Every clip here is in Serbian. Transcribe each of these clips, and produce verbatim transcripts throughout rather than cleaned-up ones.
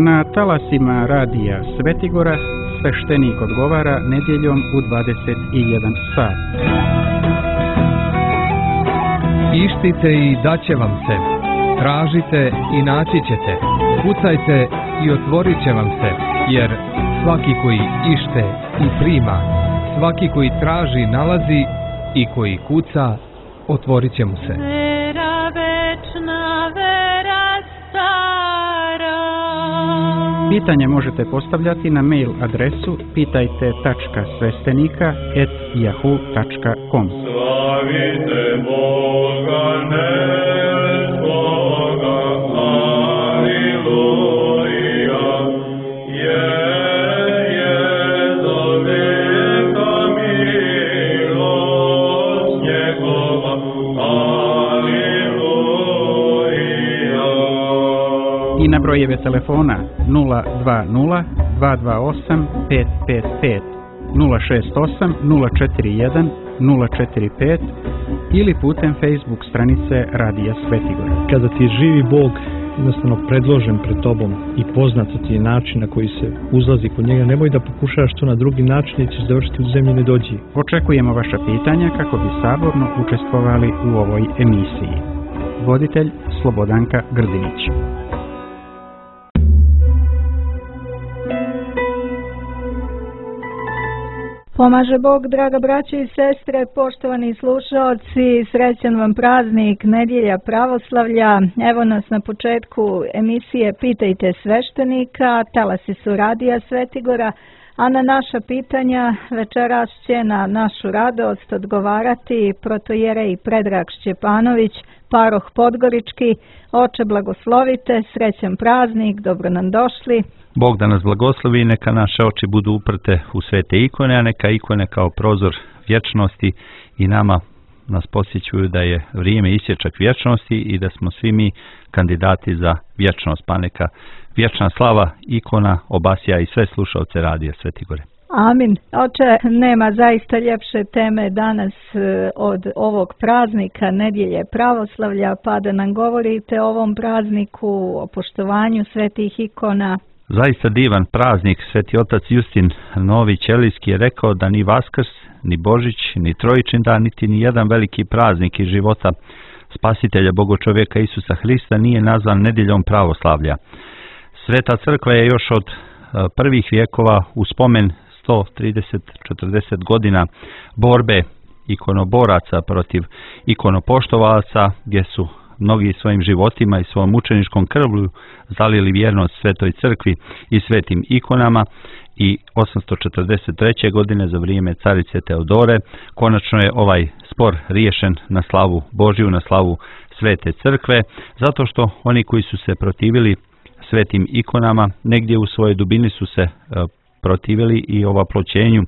Na talasima radija Svetigora sveštenik odgovara nedjeljom u dvadeset jedan sat. Ištite i daće vam se, tražite i naći ćete, kucajte i otvorit će vam se, jer svaki koji ište i prima, svaki koji traži nalazi i koji kuca otvorit će mu se. Vera večna, vera stara. Pitanje možete postavljati na mail adresu pitajte tačka sveštenika et yahoo tačka com. Slavite Boga nebskoga, aleluja, je, je za veka milost njegova, aleluja. I na brojeve telefona nula dva nula dva dva osam pet pet pet, nula šest osam nula četiri jedan nula četiri pet ili putem Facebook stranice Radija Svetigora. Kada ti je živi Bog jednostavno predložen pred tobom i poznat ti je način na koji se uzlazi kod njega, nemoj da pokušaš to na drugi način i ćeš završiti u zemlji nedođi. Očekujemo vaša pitanja kako bi saborno učestvovali u ovoj emisiji. Voditelj Slobodanka Grdinić. Pomaže Bog, draga braće i sestre, poštovani slušaoci, srećan vam praznik, nedjelja pravoslavlja. Evo nas na početku emisije Pitajte sveštenika, talasi su Radija Svetigora, a na naša pitanja večeras će na našu radost odgovarati protojerej Predrag Šćepanović, paroh Podgorički. Oče, blagoslovite, srećan praznik, dobro nam došli. Bog da nas blagoslovi, neka naše oči budu uprte u svete ikone, a neka ikone kao prozor vječnosti i nama nas posjećuju da je vrijeme isječak vječnosti i da smo svi mi kandidati za vječnost, pa neka vječna slava ikona obasja i sve slušalce Radija Svetigore. Amin. Oče, nema zaista ljepše teme danas od ovog praznika, nedjelje pravoslavlja, pa da nam govorite o ovom prazniku, o poštovanju svetih ikona. Zaista divan praznik. Sveti otac Justin Novi Ćelijski je rekao da ni Vaskrs, ni Božić, ni Trojičin dan, niti ni jedan veliki praznik iz života spasitelja Bogočovjeka Isusa Hrista nije nazvan nedjeljom pravoslavlja. Sveta crkva je još od prvih vijekova u spomen sto trideset do četrdeset godina borbe ikonoboraca protiv ikonopoštovaca, gdje su mnogi svojim životima i svojom mučeničkom krvlju zalili vjernost Svetoj crkvi i svetim ikonama, i osamsto četrdeset treće. godine za vrijeme carice Teodore konačno je ovaj spor riješen na slavu Božju, na slavu Svete crkve, zato što oni koji su se protivili svetim ikonama negdje u svojoj dubini su se protivili i ovaploćenju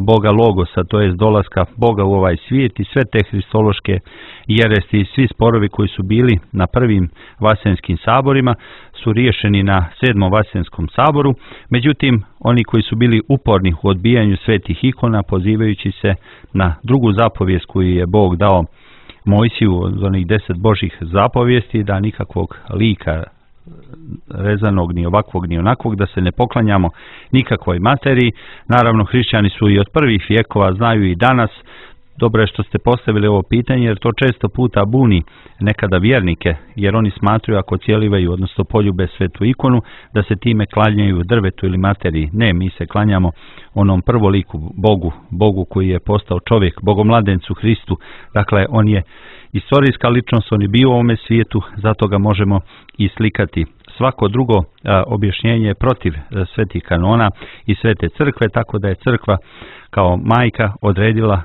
Boga Logosa, to jest dolaska Boga u ovaj svijet, i sve te hristološke jeresti i svi sporovi koji su bili na prvim vasenskim saborima su riješeni na sedmom vasenskom saboru. Međutim, oni koji su bili uporni u odbijanju svetih ikona, pozivajući se na drugu zapovijest koju je Bog dao Mojsiju od onih deset Božih zapovijesti, da nikakvog lika rezanog, ni ovakvog, ni onakvog, da se ne poklanjamo nikakvoj materiji. Naravno, hrišćani su i od prvih vijekova, znaju i danas. Dobro je što ste postavili ovo pitanje, jer to često puta buni nekada vjernike, jer oni smatruju ako cijelivaju, odnosno poljube svetu ikonu, da se time klanjaju drvetu ili materiji. Ne, mi se klanjamo onom prvoliku Bogu, Bogu koji je postao čovjek, Bogomladencu Hristu. Dakle, on je istorijska ličnost, on je bio u ovome svijetu, zato ga možemo i slikati. Svako drugo a, objašnjenje je protiv a, svetih kanona i svete crkve, tako da je crkva kao majka odredila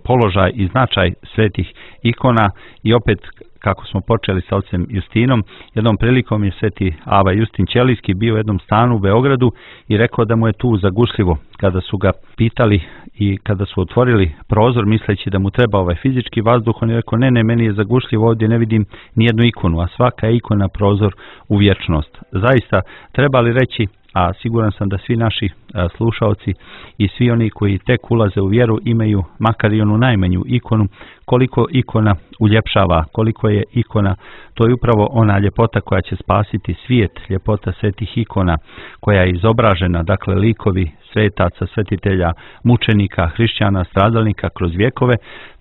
položaj i značaj svetih ikona. I opet, kako smo počeli sa ocem Justinom, jednom prilikom je sveti Ava Justin Ćelijski bio u jednom stanu u Beogradu i rekao da mu je tu zagušljivo. Kada su ga pitali i kada su otvorili prozor misleći da mu treba ovaj fizički vazduh, on je rekao ne, ne, meni je zagušljivo, ovdje ne vidim nijednu ikonu, a svaka je ikona prozor u vječnost. Zaista, treba li reći a siguran sam da svi naši a, slušaoci i svi oni koji tek ulaze u vjeru imaju makar i onu najmanju ikonu, koliko ikona uljepšava, koliko je ikona, to je upravo ona ljepota koja će spasiti svijet, ljepota svetih ikona koja je izobražena, dakle likovi svetaca, svetitelja, mučenika, hrišćana, stradalnika kroz vjekove.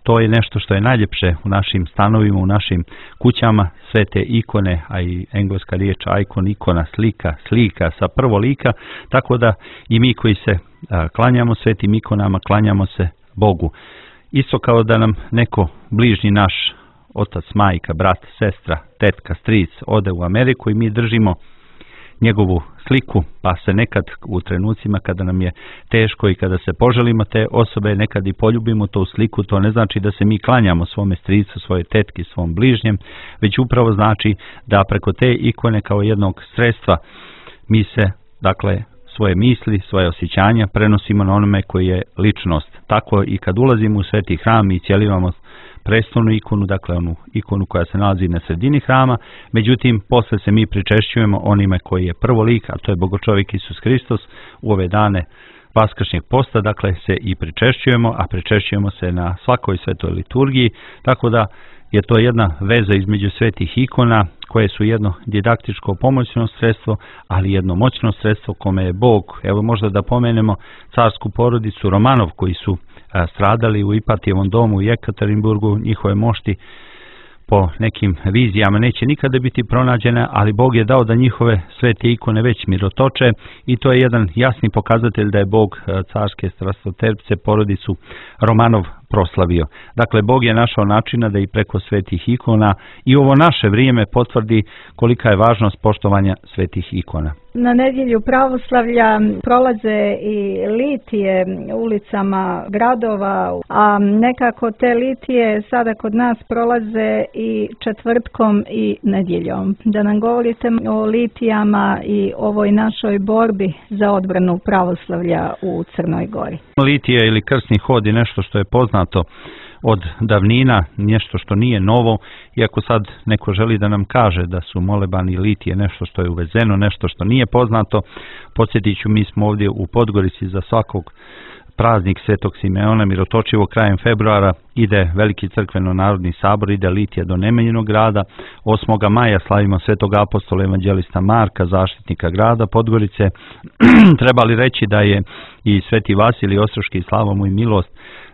To je nešto što je najljepše u našim stanovima, u našim kućama, sve te ikone, a i engleska riječ icon, ikona, slika, slika sa prvo lika, tako da i mi koji se a, klanjamo svetim ikonama, klanjamo se Bogu. Isto kao da nam neko bližnji naš, otac, majka, brat, sestra, tetka, stric, ode u Ameriku i mi držimo njegovu sliku, pa se nekad u trenucima kada nam je teško i kada se poželimo te osobe, nekad i poljubimo tu sliku, to ne znači da se mi klanjamo svome stricu, svoje tetki, svom bližnjem, već upravo znači da preko te ikone kao jednog sredstva mi se, dakle, svoje misli, svoje osjećanja prenosimo na onome koji je ličnost. Tako i kad ulazimo u sveti hram i cijelivamo prestolnu ikonu, dakle onu ikonu koja se nalazi na sredini hrama, međutim posle se mi pričešćujemo onime koji je prvo lik, a to je Bogočovjek Isus Hristos. U ove dane vaskršnjeg posta, dakle, se i pričešćujemo, a pričešćujemo se na svakoj svetoj liturgiji, tako da je to jedna veza između svetih ikona koje su jedno didaktičko pomoćno sredstvo, ali jedno moćno sredstvo kome je Bog, evo možda da pomenemo carsku porodicu Romanov koji su a, stradali u Ipatijevom domu u Jekaterinburgu, njihove mošti po nekim vizijama neće nikada biti pronađene, ali Bog je dao da njihove svete ikone već mirotoče i to je jedan jasni pokazatelj da je Bog carske strastoterpce porodicu Romanov proslavio. Dakle, Bog je našao načina da i preko svetih ikona i ovo naše vrijeme potvrdi kolika je važnost poštovanja svetih ikona. Na nedjelju pravoslavlja prolaze i litije ulicama gradova, a nekako te litije sada kod nas prolaze i četvrtkom i nedjeljom. Da nam govorite o litijama i ovoj našoj borbi za odbranu pravoslavlja u Crnoj Gori. Litije ili krsni hod je nešto što je poznato od davnina, nešto što nije novo, iako sad neko želi da nam kaže da su molebani litije nešto što je uvezeno, nešto što nije poznato. Podsjetit ću, mi smo ovdje u Podgorici za svakog praznik Svetog Simeona Mirotočivo krajem februara ide veliki crkveno-narodni sabor, ide litija do Nemanjinog grada. osmog maja slavimo Svetog apostola evanđelista Marka, zaštitnika grada Podgorice. Trebali reći da je i Sveti Vasilij Ostroški, slava mu i milost,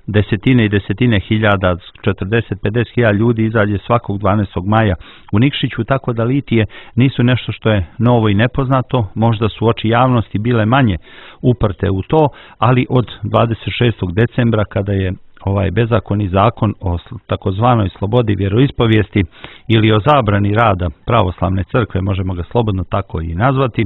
desetine i desetine hiljada, četrdeset do pedeset hiljada ljudi izađe svakog dvanaestog maja u Nikšiću, tako da litije nisu nešto što je novo i nepoznato. Možda su oči javnosti bile manje uprte u to, ali od dvadeset šestog decembra kada je ovaj bezakonni zakon o takozvanoj slobodi vjeroispovijesti ili o zabrani rada pravoslavne crkve, možemo ga slobodno tako i nazvati,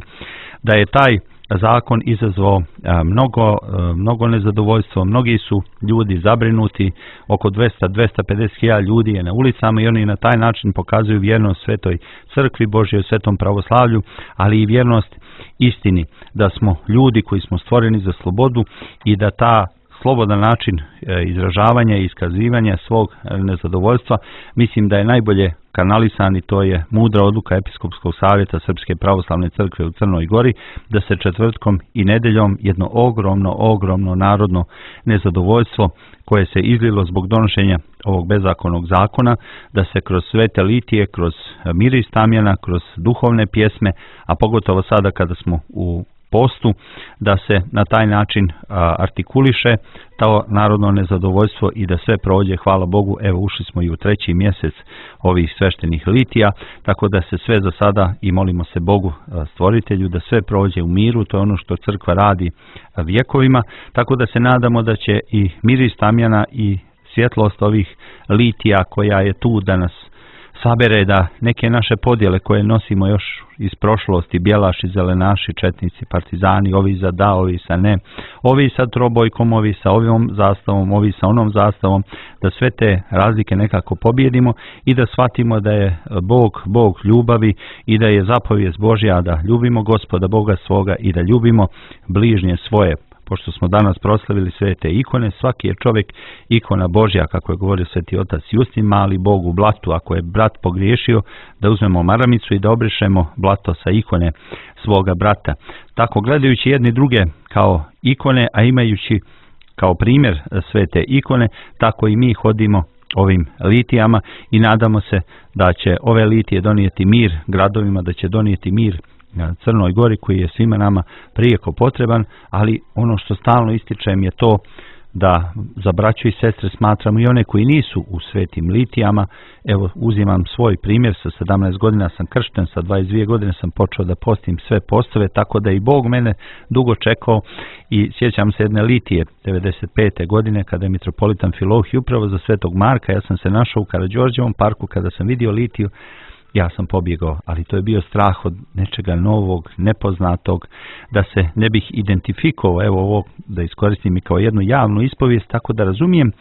da je taj zakon izazvao mnogo, mnogo nezadovoljstvo. Mnogi su ljudi zabrinuti, oko dvesta do dvesta pedeset hiljada ljudi je na ulicama i oni na taj način pokazuju vjernost svetoj crkvi Božjoj, svetom pravoslavlju, ali i vjernost istini, da smo ljudi koji smo stvoreni za slobodu i da ta slobodan način izražavanja i iskazivanja svog nezadovoljstva, mislim da je najbolje kanalisan i to je mudra odluka Episkopskog savjeta Srpske pravoslavne crkve u Crnoj Gori, da se četvrtkom i nedeljom jedno ogromno, ogromno narodno nezadovoljstvo koje se izlilo zbog donošenja ovog bezakonnog zakona, da se kroz svete litije, kroz miris tamjana, kroz duhovne pjesme, a pogotovo sada kada smo u postu, da se na taj način a, artikuliše to narodno nezadovoljstvo i da sve prođe, hvala Bogu. Evo, ušli smo i u treći mjesec ovih sveštenih litija, tako da se sve za sada, i molimo se Bogu a, stvoritelju, da sve prođe u miru. To je ono što crkva radi a, vjekovima, tako da se nadamo da će i miris tamjana i svjetlost ovih litija koja je tu da nas sabere, da neke naše podjele koje nosimo još iz prošlosti, bjelaši, zelenaši, četnici, partizani, ovi za da, ovi sa ne, ovi sa trobojkom, ovi sa ovom zastavom, ovi sa onom zastavom, da sve te razlike nekako pobjedimo i da shvatimo da je Bog, Bog ljubavi i da je zapovijest Božja da ljubimo Gospoda Boga svoga i da ljubimo bližnje svoje. pošto smo danas proslavili sve te ikone, svaki je čovjek ikona Božja, kako je govorio sveti otac Justin, mali Bog u blatu. Ako je brat pogriješio, da uzmemo maramicu i da obrišemo blato sa ikone svoga brata. Tako gledajući jedni druge kao ikone, a imajući kao primjer sve te ikone, tako i mi hodimo ovim litijama i nadamo se da će ove litije donijeti mir gradovima, da će donijeti mir Crnoj Gori koji je svima nama prijeko potreban, ali ono što stalno ističem je to da za braću i sestre smatramo i one koji nisu u svetim litijama. Evo, uzimam svoj primjer, sa sedamnaest godina sam kršten, sa dvadeset dvije godine sam počeo da postim sve postove, tako da i Bog mene dugo čekao i sjećam se jedne litije devedeset pete godine kada je mitropolitan Filohije upravo za Svetog Marka, ja sam se našao u Karađorđevom parku, kada sam vidio litiju, ja sam pobjegao, ali to je bio strah od nečega novog, nepoznatog, da se ne bih identifikovao, evo ovo da iskoristim i kao jednu javnu ispovijest, tako da razumijem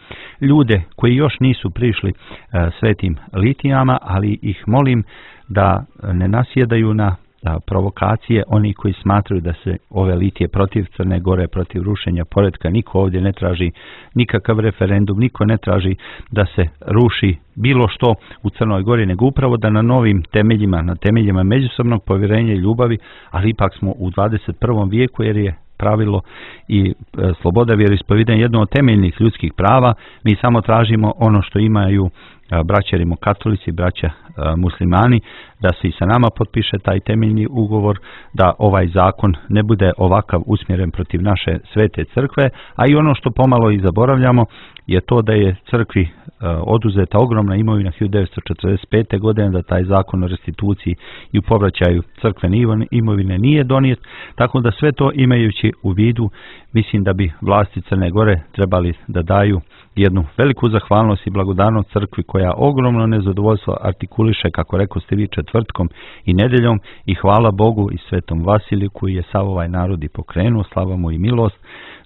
ljude koji još nisu prišli uh, svetim litijama, ali ih molim da ne nasjedaju na da provokacije oni koji smatraju da se ove litije protiv Crne Gore, protiv rušenja poretka. Niko ovdje ne traži nikakav referendum, niko ne traži da se ruši bilo što u Crnoj Gori, nego upravo da na novim temeljima, na temeljima međusobnog povjerenja i ljubavi, ali ipak smo u dvadeset prvom vijeku jer je pravilo i e, sloboda vjeroispovjedanja jedno od temeljnih ljudskih prava. Mi samo tražimo ono što imaju a, braća rimokatolici, braća a, muslimani, da se i sa nama potpiše taj temeljni ugovor, da ovaj zakon ne bude ovakav usmjeren protiv naše svete crkve, a i ono što pomalo i zaboravljamo je to da je crkvi a, oduzeta ogromna imovina hiljadu devetsto četrdeset pete godine, da taj zakon o restituciji i u povraćaju crkvene imovine nije donijet, tako da sve to imajući u vidu, mislim da bi vlasti Crne Gore trebali da daju jednu veliku zahvalnost i blagodarnost crkvi koja ogromno nezadovoljstvo artikuliše, kako rekao ste vi, četvrtkom i nedeljom, i hvala Bogu i svetom Vasiliju koji je sav ovaj narod i pokrenuo, slava mu i milost,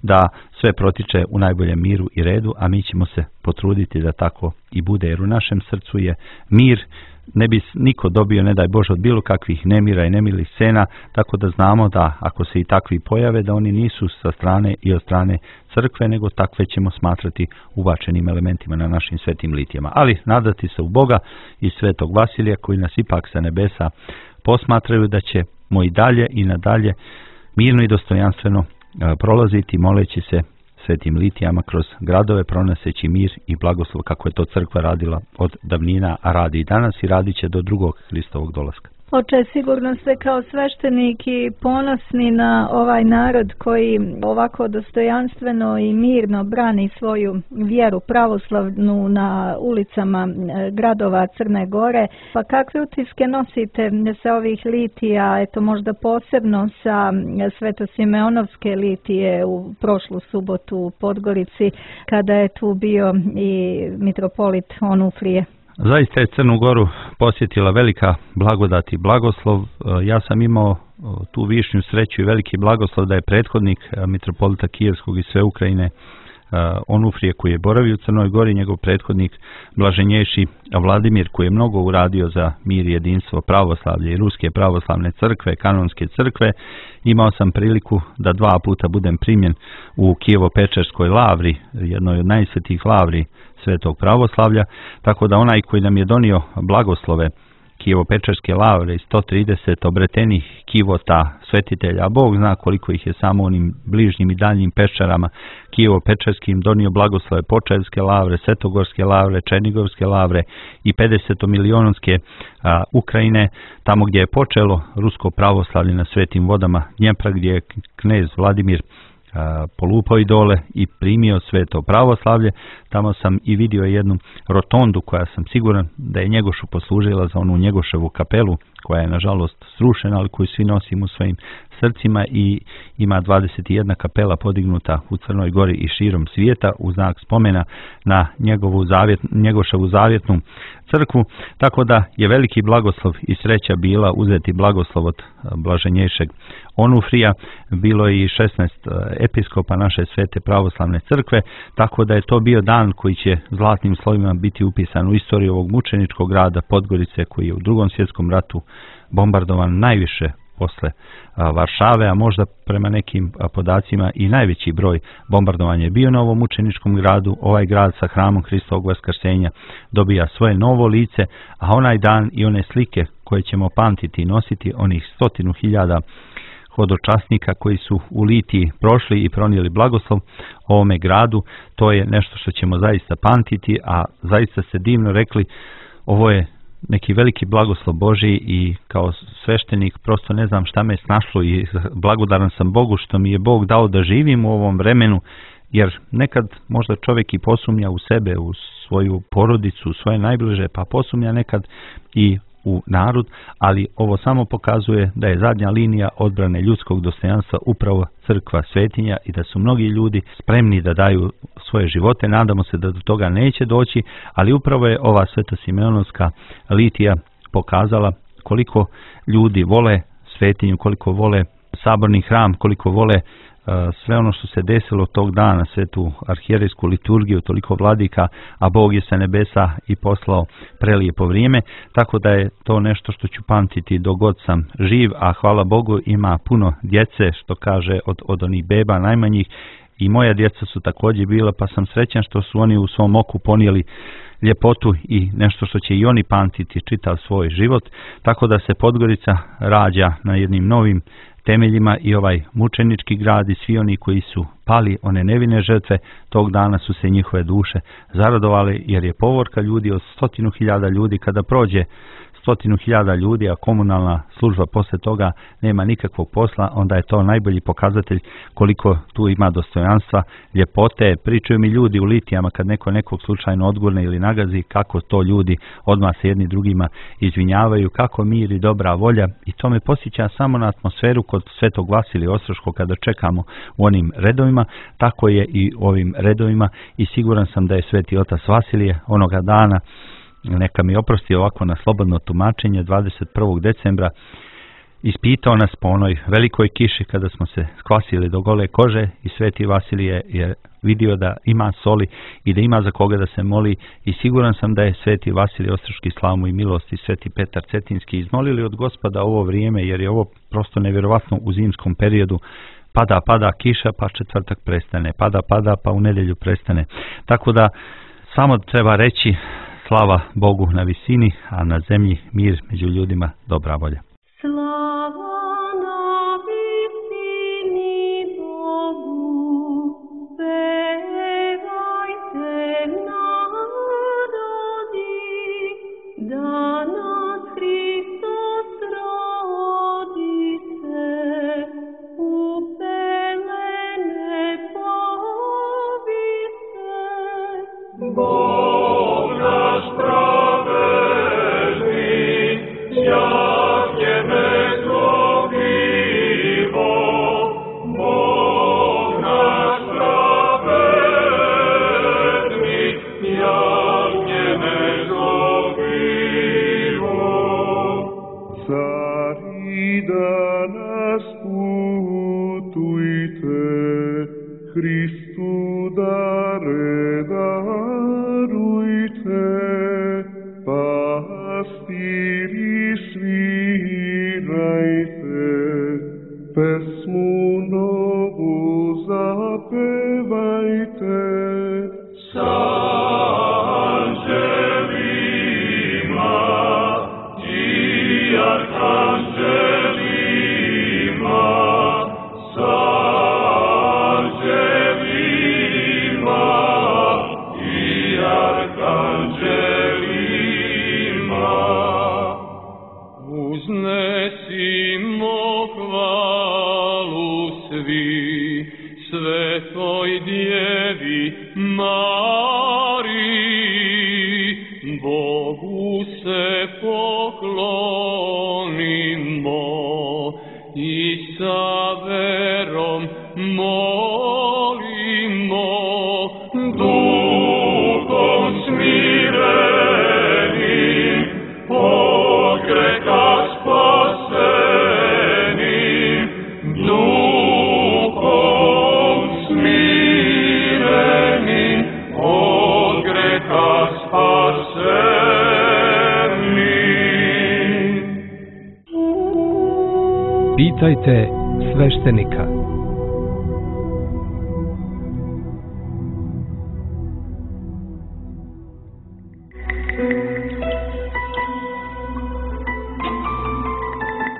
da sve protiče u najboljem miru i redu, a mi ćemo se potruditi da tako i bude, jer u našem srcu je mir. Ne bi niko dobio, ne daj Bože, od bilo kakvih nemira i nemilih scena, tako da znamo da ako se i takvi pojave, da oni nisu sa strane i od strane crkve, nego takve ćemo smatrati ubačenim elementima na našim svetim litijama. Ali nadati se u Boga i svetog Vasilija koji nas ipak sa nebesa posmatraju, da ćemo i dalje i nadalje mirno i dostojanstveno prolaziti moleći se svetim litijama kroz gradove, pronoseći mir i blagoslov kako je to crkva radila od davnina, a radi i danas i radit će do drugog Hristovog dolaska. Oče, sigurno ste kao sveštenik i ponosni na ovaj narod koji ovako dostojanstveno i mirno brani svoju vjeru pravoslavnu na ulicama gradova Crne Gore. Pa kakve utiske nosite sa ovih litija, eto možda posebno sa Svetosimeonovske litije u prošlu subotu u Podgorici, kada je tu bio i mitropolit Onufrije? Zaista je Crnu Goru posjetila velika blagodat i blagoslov. Ja sam imao tu višnju sreću i veliki blagoslov da je prethodnik mitropolita Kijevskog i sve Ukrajine Onufrije koji je boravio u Crnoj Gori, njegov prethodnik blaženjejši Vladimir koji je mnogo uradio za mir i jedinstvo pravoslavlje i Ruske pravoslavne crkve, kanonske crkve. Imao sam priliku da dva puta budem primjen u Kijevo-Pečerskoj lavri, jednoj od najsvetijih lavri svetog pravoslavlja, tako da onaj koji nam je donio blagoslove Kijevo-Pečerske lavre i sto trideset obretenih kivota svetitelja, a Bog zna koliko ih je samo onim bližnjim i daljnjim peščarama Kijevo-Pečerskim donio blagoslove Počevske lavre, Svetogorske lavre, Černigovske lavre i pedesetomilionske a, Ukrajine, tamo gdje je počelo rusko pravoslavlje na svetim vodama Dnjepra, gdje je knez Vladimir polupao i dole i primio sveto pravoslavlje. Tamo sam i vidio jednu rotondu koja sam siguran da je Njegošu poslužila za onu Njegoševu kapelu koja je nažalost srušena, ali koju svi nosimo u svojim srcima, i ima dvadeset jedna kapela podignuta u Crnoj Gori i širom svijeta u znak spomena na njegovu zavjet, Njegoševu zavjetnu crkvu, tako da je veliki blagoslov i sreća bila uzeti blagoslov od blaženjejšeg Onufrija. Bilo je i šesnaest episkopa naše svete pravoslavne crkve, tako da je to bio dan koji će zlatnim slovima biti upisan u istoriju ovog mučeničkog grada Podgorice, koji je u drugom svjetskom ratu bombardovan najviše posle a, Varšave, a možda prema nekim a, podacima i najveći broj bombardovanja je bio na ovom mučeničkom gradu. Ovaj grad sa hramom Hristovog vaskrsenja dobija svoje novo lice, a onaj dan i one slike koje ćemo pamtiti i nositi, onih stotinu hiljada hodočasnika koji su u Litiji prošli i pronijeli blagoslov ovome gradu, to je nešto što ćemo zaista pamtiti, a zaista ste divno rekli, ovo je neki veliki blagoslov Božji i kao sveštenik prosto ne znam šta me snašlo i blagodaran sam Bogu što mi je Bog dao da živim u ovom vremenu, jer nekad možda čovjek i posumnja u sebe, u svoju porodicu, u svoje najbliže, pa posumnja nekad i u narod, ali ovo samo pokazuje da je zadnja linija odbrane ljudskog dostojanstva upravo crkva, svetinja i da su mnogi ljudi spremni da daju svoje živote. Nadamo se da do toga neće doći, ali upravo je ova Svetosimeonovska litija pokazala koliko ljudi vole svetinju, koliko vole saborni hram, koliko vole sve ono što se desilo tog dana, svetu arhijerejsku liturgiju, toliko vladika, a Bog je sa nebesa i poslao prelijepo vrijeme, tako da je to nešto što ću pamtiti dok god sam živ, a hvala Bogu ima puno djece, što kaže od, od onih beba najmanjih, i moja djeca su također bila, pa sam srećan što su oni u svom oku ponijeli ljepotu i nešto što će i oni pamtiti čitav svoj život, tako da se Podgorica rađa na jednim novim temeljima i ovaj mučenički grad i svi oni koji su pali, one nevine žrtve, tog dana su se njihove duše zaradovali, jer je povorka ljudi od stotinu hiljada ljudi, kada prođe stotinu hiljada ljudi, a komunalna služba posle toga nema nikakvog posla, onda je to najbolji pokazatelj koliko tu ima dostojanstva, ljepote. Pričaju mi ljudi u litijama kad neko nekog slučajno odgurne ili nagazi, kako to ljudi odmah se jedni drugima izvinjavaju, kako mir i dobra volja, i to me posjeća samo na atmosferu kod Svetog Vasilija Ostroškog kada čekamo u onim redovima, tako je i ovim redovima, i siguran sam da je Sveti Otac Vasilije onoga dana, neka mi oprosti ovako na slobodno tumačenje, dvadeset prvog decembra ispitao nas po onoj velikoj kiši kada smo se skvasili do gole kože, i Sveti Vasilije je vidio da ima soli i da ima za koga da se moli, i siguran sam da je Sveti Vasilije Ostroški, slavu mu i milost, i Sveti Petar Cetinski izmolili od Gospoda ovo vrijeme, jer je ovo prosto nevjerovatno u zimskom periodu. Pada, pada kiša, pa četvrtak prestane, pada, pada, pa u nedjelju prestane. Tako da samo treba reći slava Bogu na visini, a na zemlji mir među ljudima, dobra volja. Slava na visini Bogu, pevajte narodi, da nas Hristos rodi se, upelene povi se. Bog naš pravedni, sjajne nezlogivo, Bog naš pravedni, sjajne nezlogivo. Cari danas putujte, Hristu dare darujte, pastiri svirajte, pesmu novu zapevajte. Sa anđelima i arkanđelima, sa anđelima i arkanđelima. Uznesimo hvalu svi Svetoj Djevi Mariji, Bogu se poklonimo i sa verom molimo, duhom smirenim, od greha spasenim, duhom smirenim, od greha spasenim. Pitajte sveštenika.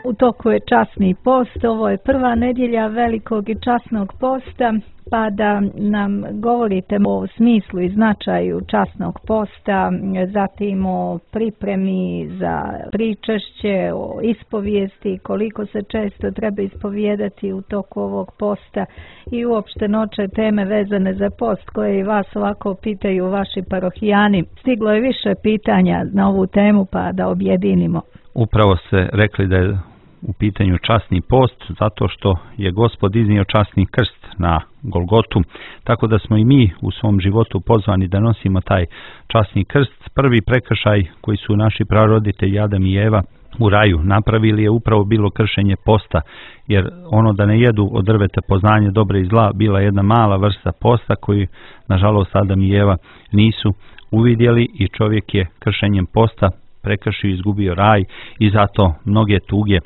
U toku je časni post, ovo je prva nedjelja velikog i časnog posta, pa da nam govorite o smislu i značaju časnog posta, zatim o pripremi za pričešće, o ispovijesti, koliko se često treba ispovijedati u toku ovog posta i uopšte noće teme vezane za post koje i vas ovako pitaju vaši parohijani. Stiglo je više pitanja na ovu temu, pa da objedinimo. Upravo ste rekli da je u pitanju časni post, zato što je Gospod iznio časni krst na Golgotu, tako da smo i mi u svom životu pozvani da nosimo taj časni krst. Prvi prekršaj koji su naši praroditelji Adam i Eva u raju napravili je upravo bilo kršenje posta, jer ono da ne jedu od drveta poznanja dobra i zla bila jedna mala vrsta posta koju nažalost Adam i Eva nisu uvidjeli i čovjek je kršenjem posta prekršio i izgubio raj i zato mnoge tuge,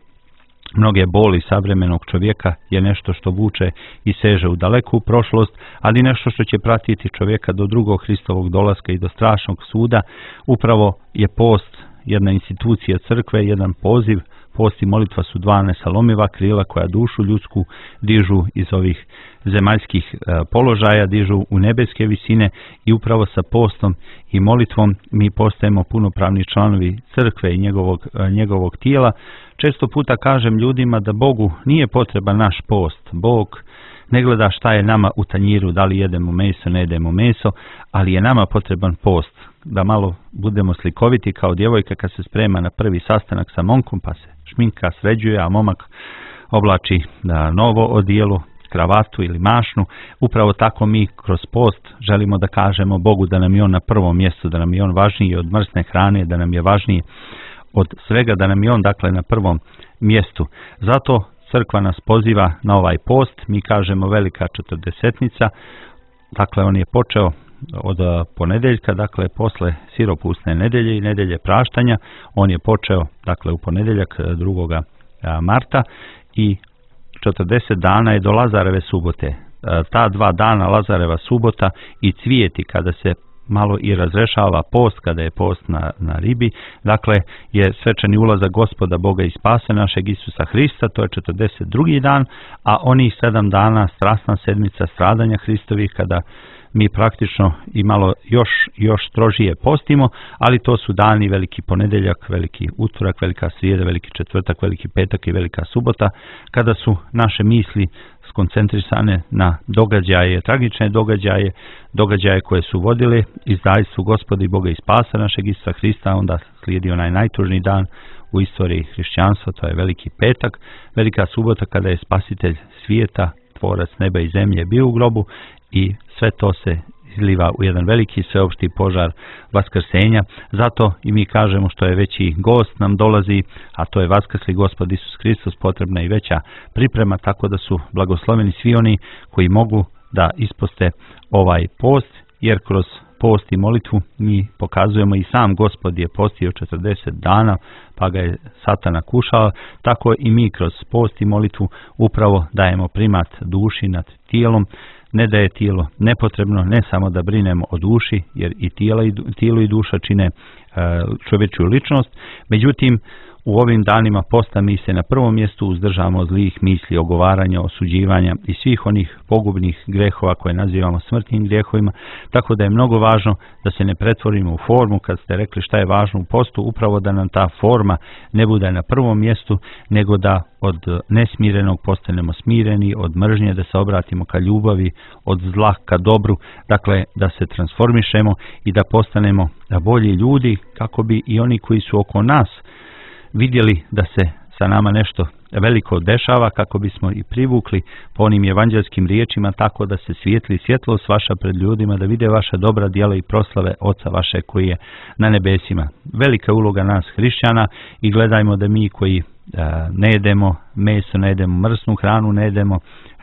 mnoge boli savremenog čovjeka je nešto što vuče i seže u daleku prošlost, ali nešto što će pratiti čovjeka do drugog Hristovog dolaska i do strašnog suda. Upravo je post jedna institucija crkve, jedan poziv. Post i molitva su dva nesalomiva krila koja dušu ljudsku dižu iz ovih zemaljskih položaja, dižu u nebeske visine i upravo sa postom i molitvom mi postajemo punopravni članovi crkve i njegovog, njegovog tijela. Često puta kažem ljudima da Bogu nije potreban naš post. Bog ne gleda šta je nama u tanjiru, da li jedemo meso, ne jedemo meso, ali je nama potreban post. Da malo budemo slikoviti kao djevojka kad se sprema na prvi sastanak sa momkom, pa se šminka sređuje, a momak oblači da novo odijelo, kravatu ili mašnu. Upravo tako mi kroz post želimo da kažemo Bogu da nam je on na prvom mjestu, da nam je on važniji od mrsne hrane, da nam je važniji od svega, da nam je on dakle na prvom mjestu. Zato crkva nas poziva na ovaj post, mi kažemo velika četrdesetnica, dakle on je počeo od ponedjeljka, dakle posle siropusne nedelje i nedelje praštanja, on je počeo dakle u ponedjeljak drugog marta i četrdeset dana je do Lazareve subote. Ta dva dana, Lazareva subota i cvijeti, kada se malo i razrešava post, kada je post na, na ribi, dakle je svečani ulazak Gospoda Boga i spasa našeg Isusa Hrista, to je četrdeset drugi dan, a onih sedam dana strasna sedmica stradanja Hristovih, kada mi praktično i malo još, još strožije postimo, ali to su dani veliki ponedjeljak, veliki utorak, velika srijeda, veliki četvrtak, veliki petak i velika subota, kada su naše misli skoncentrisane na događaje, tragične događaje, događaje koje su vodile izdajstvu Gospoda i Boga i spasa našeg Isusa Hrista. Onda slijedi onaj najtužniji dan u istoriji hrišćanstva, to je veliki petak, velika subota kada je spasitelj svijeta, tvorac neba i zemlje bio u grobu i sve to se izliva u jedan veliki sveopšti požar vaskrsenja. Zato i mi kažemo što je veći gost nam dolazi, a to je vaskrsli Gospod Isus Hristos, potrebna i veća priprema, tako da su blagosloveni svi oni koji mogu da isposte ovaj post, jer kroz post i molitvu mi pokazujemo i sam Gospod je postio četrdeset dana, pa ga je Satana kušao, tako i mi kroz post i molitvu upravo dajemo primat duši nad tijelom. Ne da je tijelo nepotrebno, ne samo da brinemo o duši, jer i tijelo i, tijelo i duša čine e, čovječju ličnost. Međutim, u ovim danima posta mi se na prvom mjestu uzdržavamo od zlih misli, ogovaranja, osuđivanja i svih onih pogubnih grehova koje nazivamo smrtnim grijehovima, tako da je mnogo važno da se ne pretvorimo u formu. Kad ste rekli šta je važno u postu, upravo da nam ta forma ne bude na prvom mjestu, nego da od nesmirenog postanemo smireni, od mržnje da se obratimo ka ljubavi, od zla ka dobru, dakle da se transformišemo i da postanemo bolji ljudi, kako bi i oni koji su oko nas vidjeli da se sa nama nešto veliko dešava, kako bismo i privukli po onim evanđelskim riječima, tako da se svijetli svjetlost vaša pred ljudima, da vide vaša dobra djela i proslave Oca vaše koji je na nebesima. Velika uloga nas hrišćana i gledajmo da mi koji ne jedemo meso, ne jedemo mrsnu hranu, ne jedemo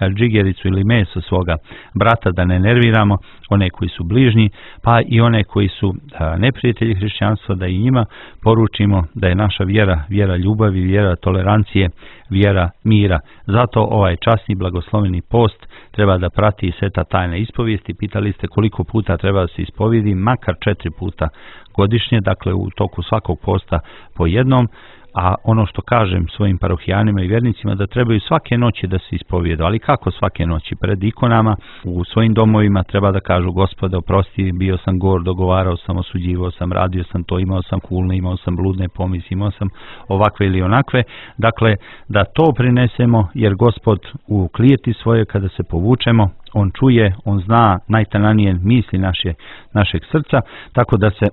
džigericu ili meso svoga brata, da ne nerviramo one koji su bližnji, pa i one koji su neprijatelji hrišćanstva, da i njima poručimo da je naša vjera vjera ljubavi, vjera tolerancije, vjera mira. Zato ovaj časni blagosloveni post treba da prati i sveta tajna ispovijesti. Pitali ste koliko puta treba da se ispovijedi, makar četiri puta godišnje, dakle u toku svakog posta po jednom. A ono što kažem svojim parohijanima i vjernicima, da trebaju svake noći da se ispovijedu. Ali kako svake noći? Pred ikonama, u svojim domovima treba da kažu: Gospode, oprosti, bio sam gor, dogovarao sam, osuđivao sam, radio sam to, imao sam kulne, imao sam bludne pomisli, imao sam ovakve ili onakve. Dakle, da to prinesemo, jer Gospod u klijeti svoje, kada se povučemo, on čuje, on zna najtananije misli naše, našeg srca, tako da se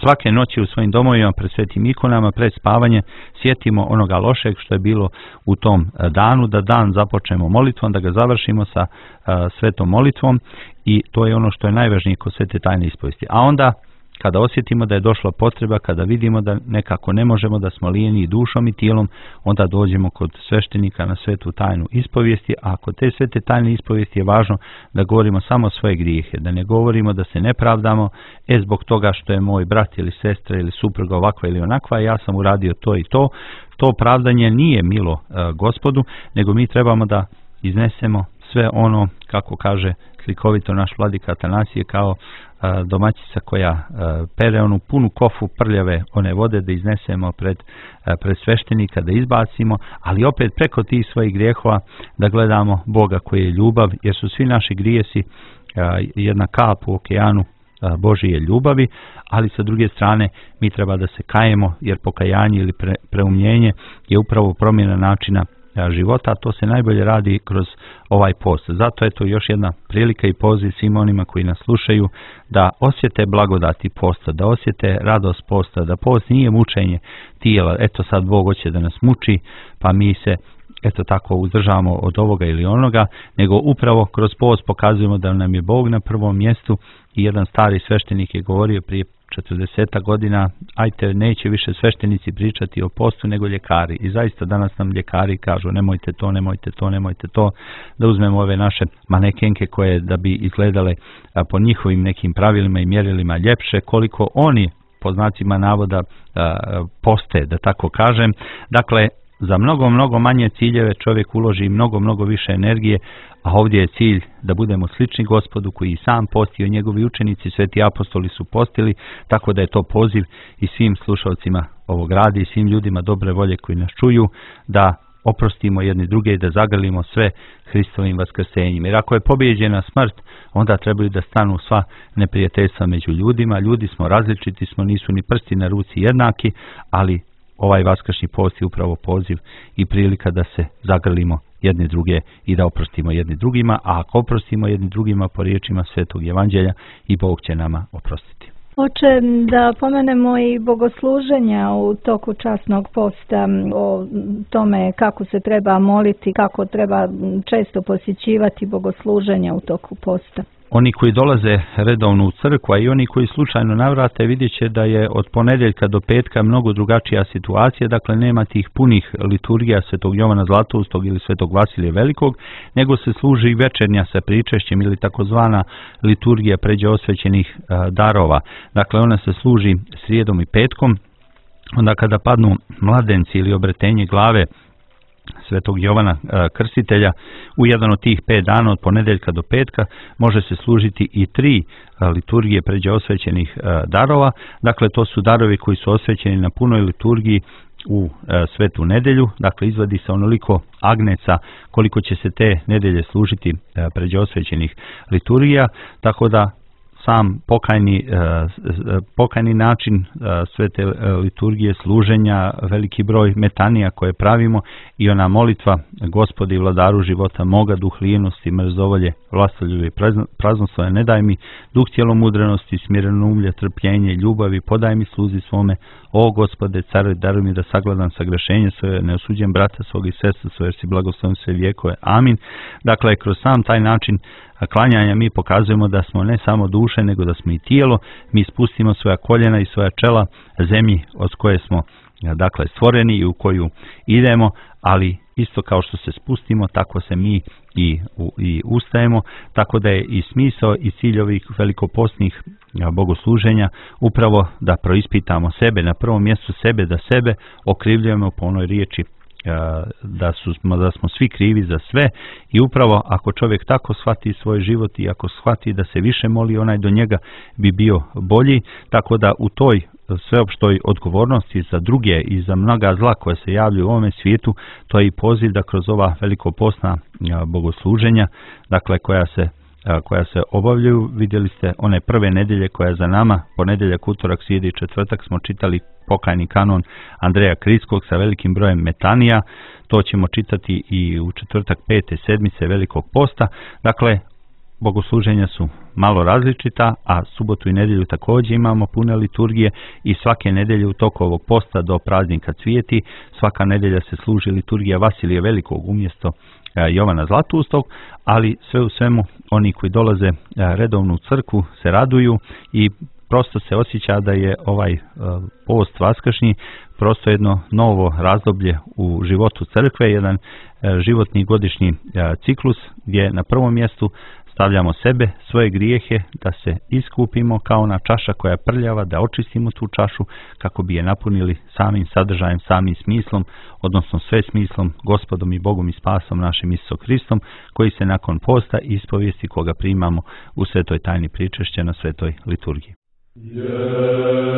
svake noći u svojim domovima pred svetim ikonama, pred spavanje, sjetimo onoga lošeg što je bilo u tom danu, da dan započnemo molitvom, da ga završimo sa uh, svetom molitvom, i to je ono što je najvažnije kod svete tajne ispovijesti. A onda, kada osjetimo da je došla potreba, kada vidimo da nekako ne možemo, da smo lijeni dušom i tijelom, onda dođemo kod sveštenika na svetu tajnu ispovijesti. A kod te svete tajne ispovijesti je važno da govorimo samo svoje grijehe, da ne govorimo, da se ne pravdamo, e zbog toga što je moj brat ili sestra ili supruga ovakva ili onakva, ja sam uradio to i to. To pravdanje nije milo uh, Gospodu, nego mi trebamo da iznesemo sve ono, kako kaže slikovito naš vladika Atanasije, kao a, domaćica koja a, pere onu punu kofu prljave one vode, da iznesemo pred, a, pred sveštenika, da izbacimo, ali opet preko tih svojih grijehova da gledamo Boga koji je ljubav, jer su svi naši grijesi a, jedna kap u okeanu a, Božije ljubavi, ali sa druge strane mi treba da se kajemo, jer pokajanje ili pre, preumljenje je upravo promjena načina života, a to se najbolje radi kroz ovaj post. Zato je to još jedna prilika i poziv svim onima koji nas slušaju da osjete blagodati posta, da osjete radost posta, da post nije mučenje tijela, eto sad Bog hoće da nas muči, pa mi se eto tako uzdržavamo od ovoga ili onoga, nego upravo kroz post pokazujemo da nam je Bog na prvom mjestu. I jedan stari sveštenik je govorio prije četrdeset godina: ajte, neće više sveštenici pričati o postu nego ljekari. I zaista danas nam ljekari kažu: nemojte to, nemojte to, nemojte to, da uzmemo ove naše manekenke koje da bi izgledale po njihovim nekim pravilima i mjerilima ljepše, koliko oni po znacima navoda poste, da tako kažem. Dakle, za mnogo, mnogo manje ciljeve čovjek uloži mnogo, mnogo više energije, a ovdje je cilj da budemo slični Gospodu koji sam postio, njegovi učenici, sveti apostoli su postili, tako da je to poziv i svim slušalcima ovog radi i svim ljudima dobre volje koji nas čuju, da oprostimo jedni druge i da zagrlimo sve Hristovim vaskrsenjem. Jer ako je pobijeđena smrt, onda trebaju da stanu sva neprijateljstva među ljudima. Ljudi smo različiti, smo, nisu ni prsti na ruci jednaki, ali ovaj vaskršnji post je upravo poziv i prilika da se zagrlimo jedni druge i da oprostimo jedni drugima, a ako oprostimo jedni drugima po riječima Svetog Evanđelja, i Bog će nama oprostiti. Oče, da pomenemo i bogosluženja u toku časnog posta, o tome kako se treba moliti, kako treba često posjećivati bogosluženja u toku posta. Oni koji dolaze redovno u crkvu, a i oni koji slučajno navrate, vidjet će da je od ponedjeljka do petka mnogo drugačija situacija. Dakle, nema tih punih liturgija Svetog Jovana Zlatoustog ili Svetog Vasilija Velikog, nego se služi večernja sa pričešćem ili takozvana liturgija pređe osvećenih darova. Dakle, ona se služi srijedom i petkom, onda kada padnu mladenci ili obretenje glave Svetog Jovana Krstitelja u jedan od tih pet dana od ponedjeljka do petka može se služiti i tri liturgije pređe osvećenih darova. Dakle, to su darovi koji su osvećeni na punoj liturgiji u svetu nedelju. Dakle, izvadi se onoliko agneca koliko će se te nedelje služiti pređe osvećenih liturgija, tako da sam pokajni, pokajni način sve te liturgije služenja, veliki broj metanija koje pravimo i ona molitva Gospodi i vladaru života moga, duh lijenosti, mrzovolje, vlastoljubi i praznoslove, ne daj mi duh tjelomudrenosti, smirenumlje, trpljenje, ljubavi, podaj mi sluzi svome, o Gospode, caruj, daruj mi da sagledam sagrešenje svoje, ne osuđem brata svog i sestra svoje, jer si blagosloven sve vijekove. Amin. Dakle, kroz sam taj način klanjanja mi pokazujemo da smo ne samo duše, nego da smo i tijelo. Mi spustimo svoja koljena i svoja čela zemlji od koje smo dakle stvoreni i u koju idemo, ali isto kao što se spustimo, tako se mi i, u, i ustajemo, tako da je i smisao i cilj ovih velikopostnih bogosluženja upravo da proispitamo sebe, na prvom mjestu sebe, da sebe okrivljujemo po onoj riječi da, su, da smo svi krivi za sve i upravo ako čovjek tako shvati svoj život i ako shvati da se više moli, onaj do njega bi bio bolji, tako da u toj sveopštoj odgovornosti za druge i za mnoga zla koje se javljaju u ovome svijetu, to je i poziv da kroz ova velikopostna bogosluženja, dakle koja se koja se obavljaju, vidjeli ste one prve nedjelje koja je za nama, ponedjeljak, utorak, srijeda i četvrtak smo čitali pokajni kanon Andreja Kriskog sa velikim brojem metanija, to ćemo čitati i u četvrtak pete sedmice velikog posta, dakle bogosluženja su malo različita, a subotu i nedjelju također imamo pune liturgije i svake nedjelje u toku ovog posta do praznika Cvijeti, svaka nedjelja se služi liturgija Vasilija Velikog umjesto Jovana Zlatustog, ali sve u svemu oni koji dolaze redovno u crkvu se raduju i prosto se osjeća da je ovaj post vaskršnji prosto jedno novo razdoblje u životu crkve, jedan životni godišnji ciklus gdje na prvom mjestu stavljamo sebe, svoje grijehe, da se iskupimo kao ona čaša koja je prljava, da očistimo tu čašu kako bi je napunili samim sadržajem, samim smislom, odnosno sve smislom, Gospodom i Bogom i spasom našim Isusom Hristom, koji se nakon posta i ispovijesti koga primamo u svetoj tajni pričešća na svetoj liturgiji. Yeah.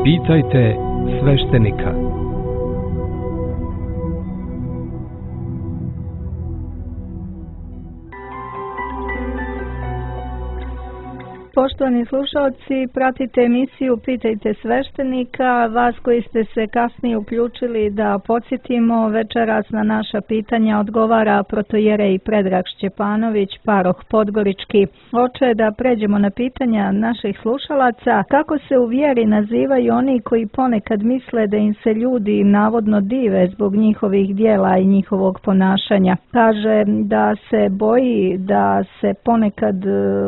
Pitajte sveštenika. Poštovani slušalci, pratite emisiju Pitajte sveštenika. Vas koji ste se kasnije uključili da podsjetimo, večeras na naša pitanja odgovara protojerej Predrag Šćepanović, paroh Podgorički. Oče, da pređemo na pitanja naših slušalaca. Kako se u vjeri nazivaju oni koji ponekad misle da im se ljudi navodno dive zbog njihovih dijela i njihovog ponašanja? Kaže da se boji, da se ponekad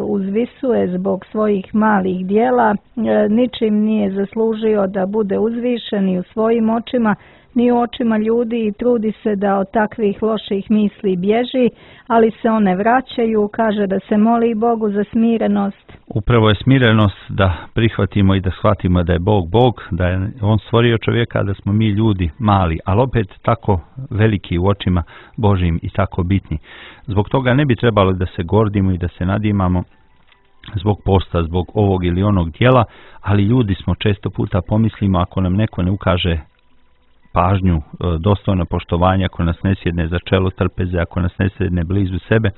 uzvisuje zbog svojih malih dijela, ničim nije zaslužio da bude uzvišen i u svojim očima, ni u očima ljudi i trudi se da od takvih loših misli bježi, ali se one vraćaju, kaže da se moli Bogu za smirenost. Upravo je smirenost da prihvatimo i da shvatimo da je Bog Bog, da je On stvorio čovjeka, da smo mi ljudi mali, ali opet tako veliki u očima Božjim i tako bitni. Zbog toga ne bi trebalo da se gordimo i da se nadimamo zbog posta, zbog ovog ili onog dijela, ali ljudi smo, često puta pomislimo ako nam neko ne ukaže pažnju, dostojno poštovanja, ako nas ne sjedne za čelo trpeze, ako nas ne sjedne blizu sebe,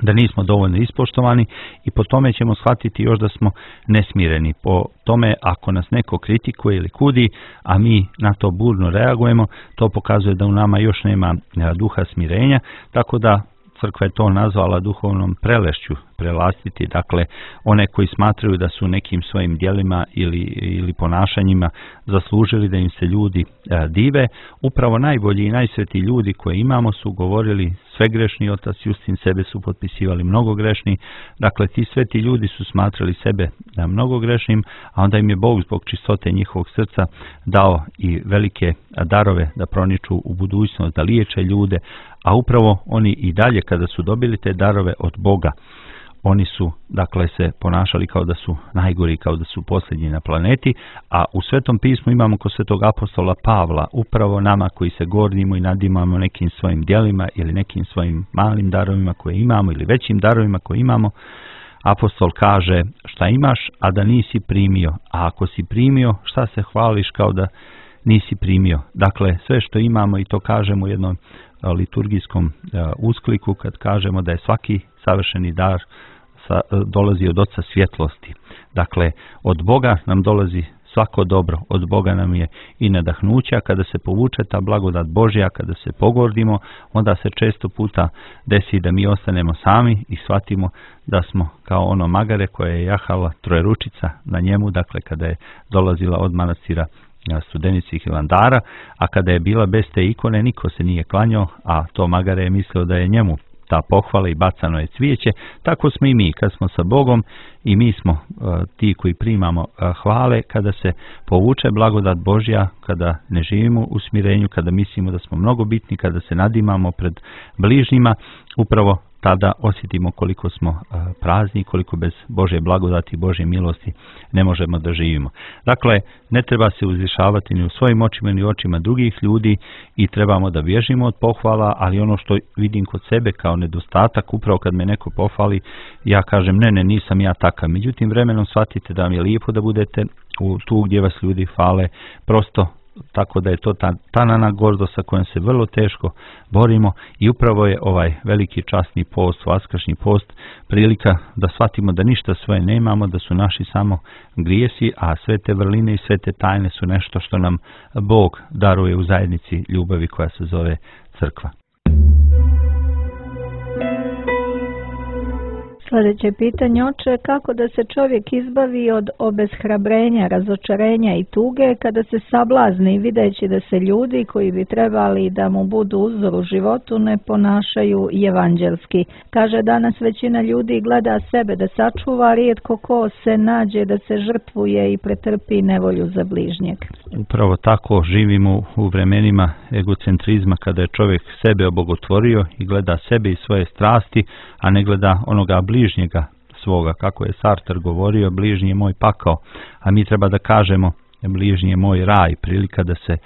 da nismo dovoljno ispoštovani i po tome ćemo shvatiti još da smo nesmireni. Po tome ako nas neko kritikuje ili kudi, a mi na to burno reagujemo, to pokazuje da u nama još nema duha smirenja, tako da crkva je to nazvala duhovnom prelešću, prelastiti, dakle one koji smatraju da su nekim svojim djelima ili, ili ponašanjima zaslužili da im se ljudi e, dive. Upravo najbolji i najsvetiji ljudi koje imamo su govorili sve grešni, otac Justin sebe su potpisivali mnogo grešni, dakle ti sveti ljudi su smatrali sebe da mnogo grešnim, a onda im je Bog zbog čistote njihovog srca dao i velike darove da proniču u budućnost, da liječe ljude, a upravo oni i dalje kada su dobili te darove od Boga, oni su dakle se ponašali kao da su najgori, kao da su posljednji na planeti, a u Svetom pismu imamo kod svetog apostola Pavla, upravo nama koji se gordimo i nadimamo nekim svojim djelima ili nekim svojim malim darovima koje imamo ili većim darovima koje imamo, apostol kaže šta imaš, a da nisi primio, a ako si primio, šta se hvališ kao da nisi primio. Dakle, sve što imamo, i to kažemo u jednom liturgijskom uh, uskliku kad kažemo da je svaki savršeni dar sa, uh, dolazi od Oca svjetlosti. Dakle, od Boga nam dolazi svako dobro, od Boga nam je i nadahnuća. Kada se povuče ta blagodat Božja, kada se pogordimo, onda se često puta desi da mi ostanemo sami i shvatimo da smo kao ono magare koje je jahala trojeručica na njemu, dakle kada je dolazila od manastira Studenici Hilandara, a kada je bila bez te ikone niko se nije klanjao, a to magare je mislio da je njemu ta pohvala i bacano je cvijeće. Tako smo i mi kad smo sa Bogom i mi smo uh, ti koji primamo uh, hvale, kada se povuče blagodat Božja, kada ne živimo u smirenju, kada mislimo da smo mnogo bitni, kada se nadimamo pred bližnjima, upravo tada osjetimo koliko smo uh, prazni, koliko bez Božje blagodati i Božje milosti ne možemo da živimo. Dakle, ne treba se uzvišavati ni u svojim očima ni u očima drugih ljudi i trebamo da bježimo od pohvala, ali ono što vidim kod sebe kao nedostatak, upravo kad me neko pohvali, ja kažem ne, ne, nisam ja takav. Međutim, vremenom shvatite da vam je lijepo da budete u tu gdje vas ljudi hvale, prosto tako da je to ta tanana gordost sa kojom se vrlo teško borimo i upravo je ovaj veliki časni post, vaskršnji post, prilika da shvatimo da ništa svoje nemamo, da su naši samo grijesi, a sve te vrline i sve te tajne su nešto što nam Bog daruje u zajednici ljubavi koja se zove crkva. Sljedeće pitanje, oče, kako da se čovjek izbavi od obeshrabrenja, razočarenja i tuge kada se sablazni videći da se ljudi koji bi trebali da mu budu uzor u životu ne ponašaju evanđelski. Kaže, danas većina ljudi gleda sebe da sačuva, rijetko ko se nađe da se žrtvuje i pretrpi nevolju za bližnjeg. Upravo tako živimo u vremenima egocentrizma kada je čovjek sebe obogotvorio i gleda sebe i svoje strasti, a ne gleda onoga bližnjega svoga. Kako je Sartre govorio, bližnji je moj pakao, a mi treba da kažemo bližnji je moj raj, prilika da se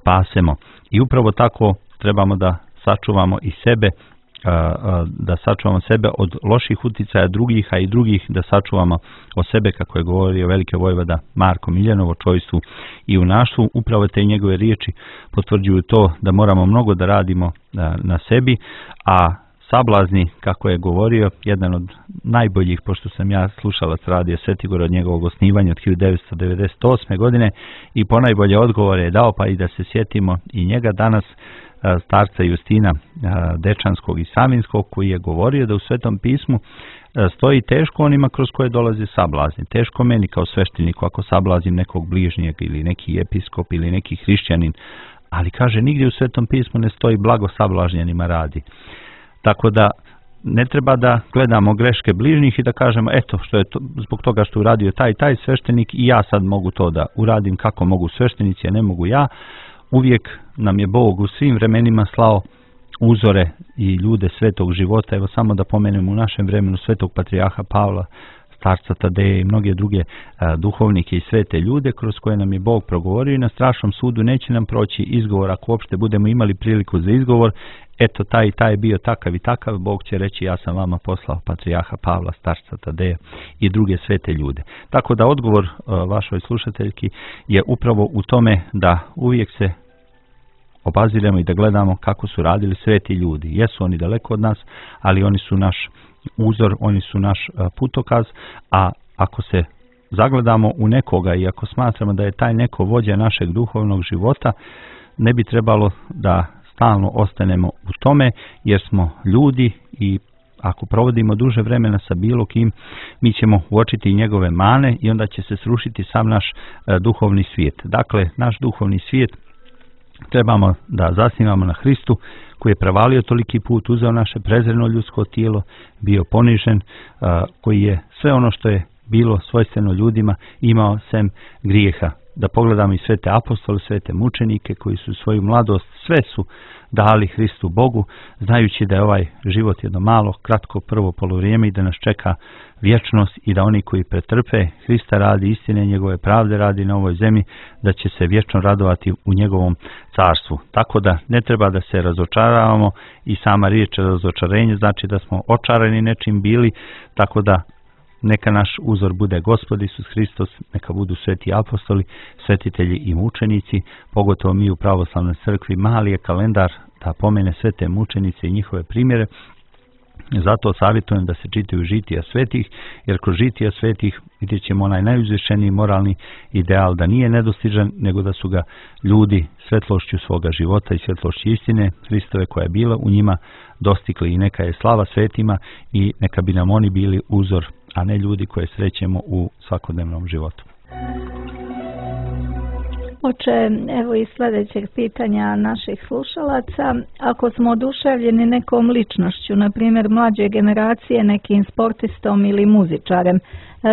spasemo. I upravo tako trebamo da sačuvamo i sebe da sačuvamo sebe od loših uticaja drugih, a i drugih da sačuvamo o sebe, kako je govorio veliki vojvoda Marko Miljanovo, čojstvu i u našu. Upravo te njegove riječi potvrđuju to da moramo mnogo da radimo na sebi, a sablazni, kako je govorio, jedan od najboljih, pošto sam ja slušalac radio Svetigora od njegovog osnivanja od hiljadu devetsto devedeset osme. godine i ponajbolje odgovore je dao, pa i da se sjetimo i njega danas, starca Justina Dečanskog i Savinskog, koji je govorio da u Svetom pismu stoji teško onima kroz koje dolaze sablazni. Teško meni kao svešteniku ako sablazim nekog bližnjeg ili neki episkop ili neki hrišćanin, ali kaže nigdje u Svetom pismu ne stoji blago sablažnjenima radi. Tako da ne treba da gledamo greške bližnjih i da kažemo eto što je to, zbog toga što uradio taj taj sveštenik i ja sad mogu to da uradim kako mogu sveštenici, a ne mogu ja. Uvijek nam je Bog u svim vremenima slao uzore i ljude svetog života. Evo samo da pomenemo u našem vremenu svetog patrijarha Pavla, starca Tadeja i mnoge druge a, duhovnike i svete ljude kroz koje nam je Bog progovorio i na strašnom sudu neće nam proći izgovor ako uopšte budemo imali priliku za izgovor. Eto taj i taj je bio takav i takav, Bog će reći ja sam vama poslao patrijarha Pavla, starca Tadeja i druge svete ljude. Tako da odgovor a, vašoj slušateljki je upravo u tome da uvijek se obaziremo i da gledamo kako su radili sveti ljudi. Jesu oni daleko od nas, ali oni su naš uzor, oni su naš putokaz, a ako se zagledamo u nekoga i ako smatramo da je taj neko vođa našeg duhovnog života, ne bi trebalo da stalno ostanemo u tome, jer smo ljudi i ako provodimo duže vremena sa bilo kim, mi ćemo uočiti njegove mane i onda će se srušiti sam naš duhovni svijet. Dakle, naš duhovni svijet trebamo da zasnivamo na Hristu, koji je prevalio toliki put, uzeo naše prezreno ljudsko tijelo, bio ponižen, koji je sve ono što je bilo svojstveno ljudima imao sem grijeha. Da pogledamo i svete apostole, svete mučenike koji su svoju mladost, sve su dali Hristu Bogu, znajući da je ovaj život jedno malo, kratko prvo polovrijeme i da nas čeka vječnost i da oni koji pretrpe Hrista radi istine, njegove pravde radi na ovoj zemlji, da će se vječno radovati u njegovom carstvu. Tako da ne treba da se razočaravamo i sama riječ razočarenje znači da smo očarani nečim bili, tako da neka naš uzor bude Gospod Isus Hristos, neka budu sveti apostoli, svetitelji i mučenici, pogotovo mi u pravoslavnoj crkvi. Mali je kalendar da pomene sve te mučenice i njihove primjere. Zato savjetujem da se čitaju žitija svetih, jer kroz žitija svetih vidjet ćemo onaj najuzvišeniji moralni ideal, da nije nedostižan, nego da su ga ljudi svetlošću svoga života i svetlošću istine Hristove koja je bila u njima dostigli. I neka je slava svetima i neka bi nam oni bili uzor, a ne ljudi koje srećemo u svakodnevnom životu. Oče, evo i sljedećeg pitanja naših slušalaca. Ako smo oduševljeni nekom ličnošću, na primjer mlađe generacije, nekim sportistom ili muzičarem,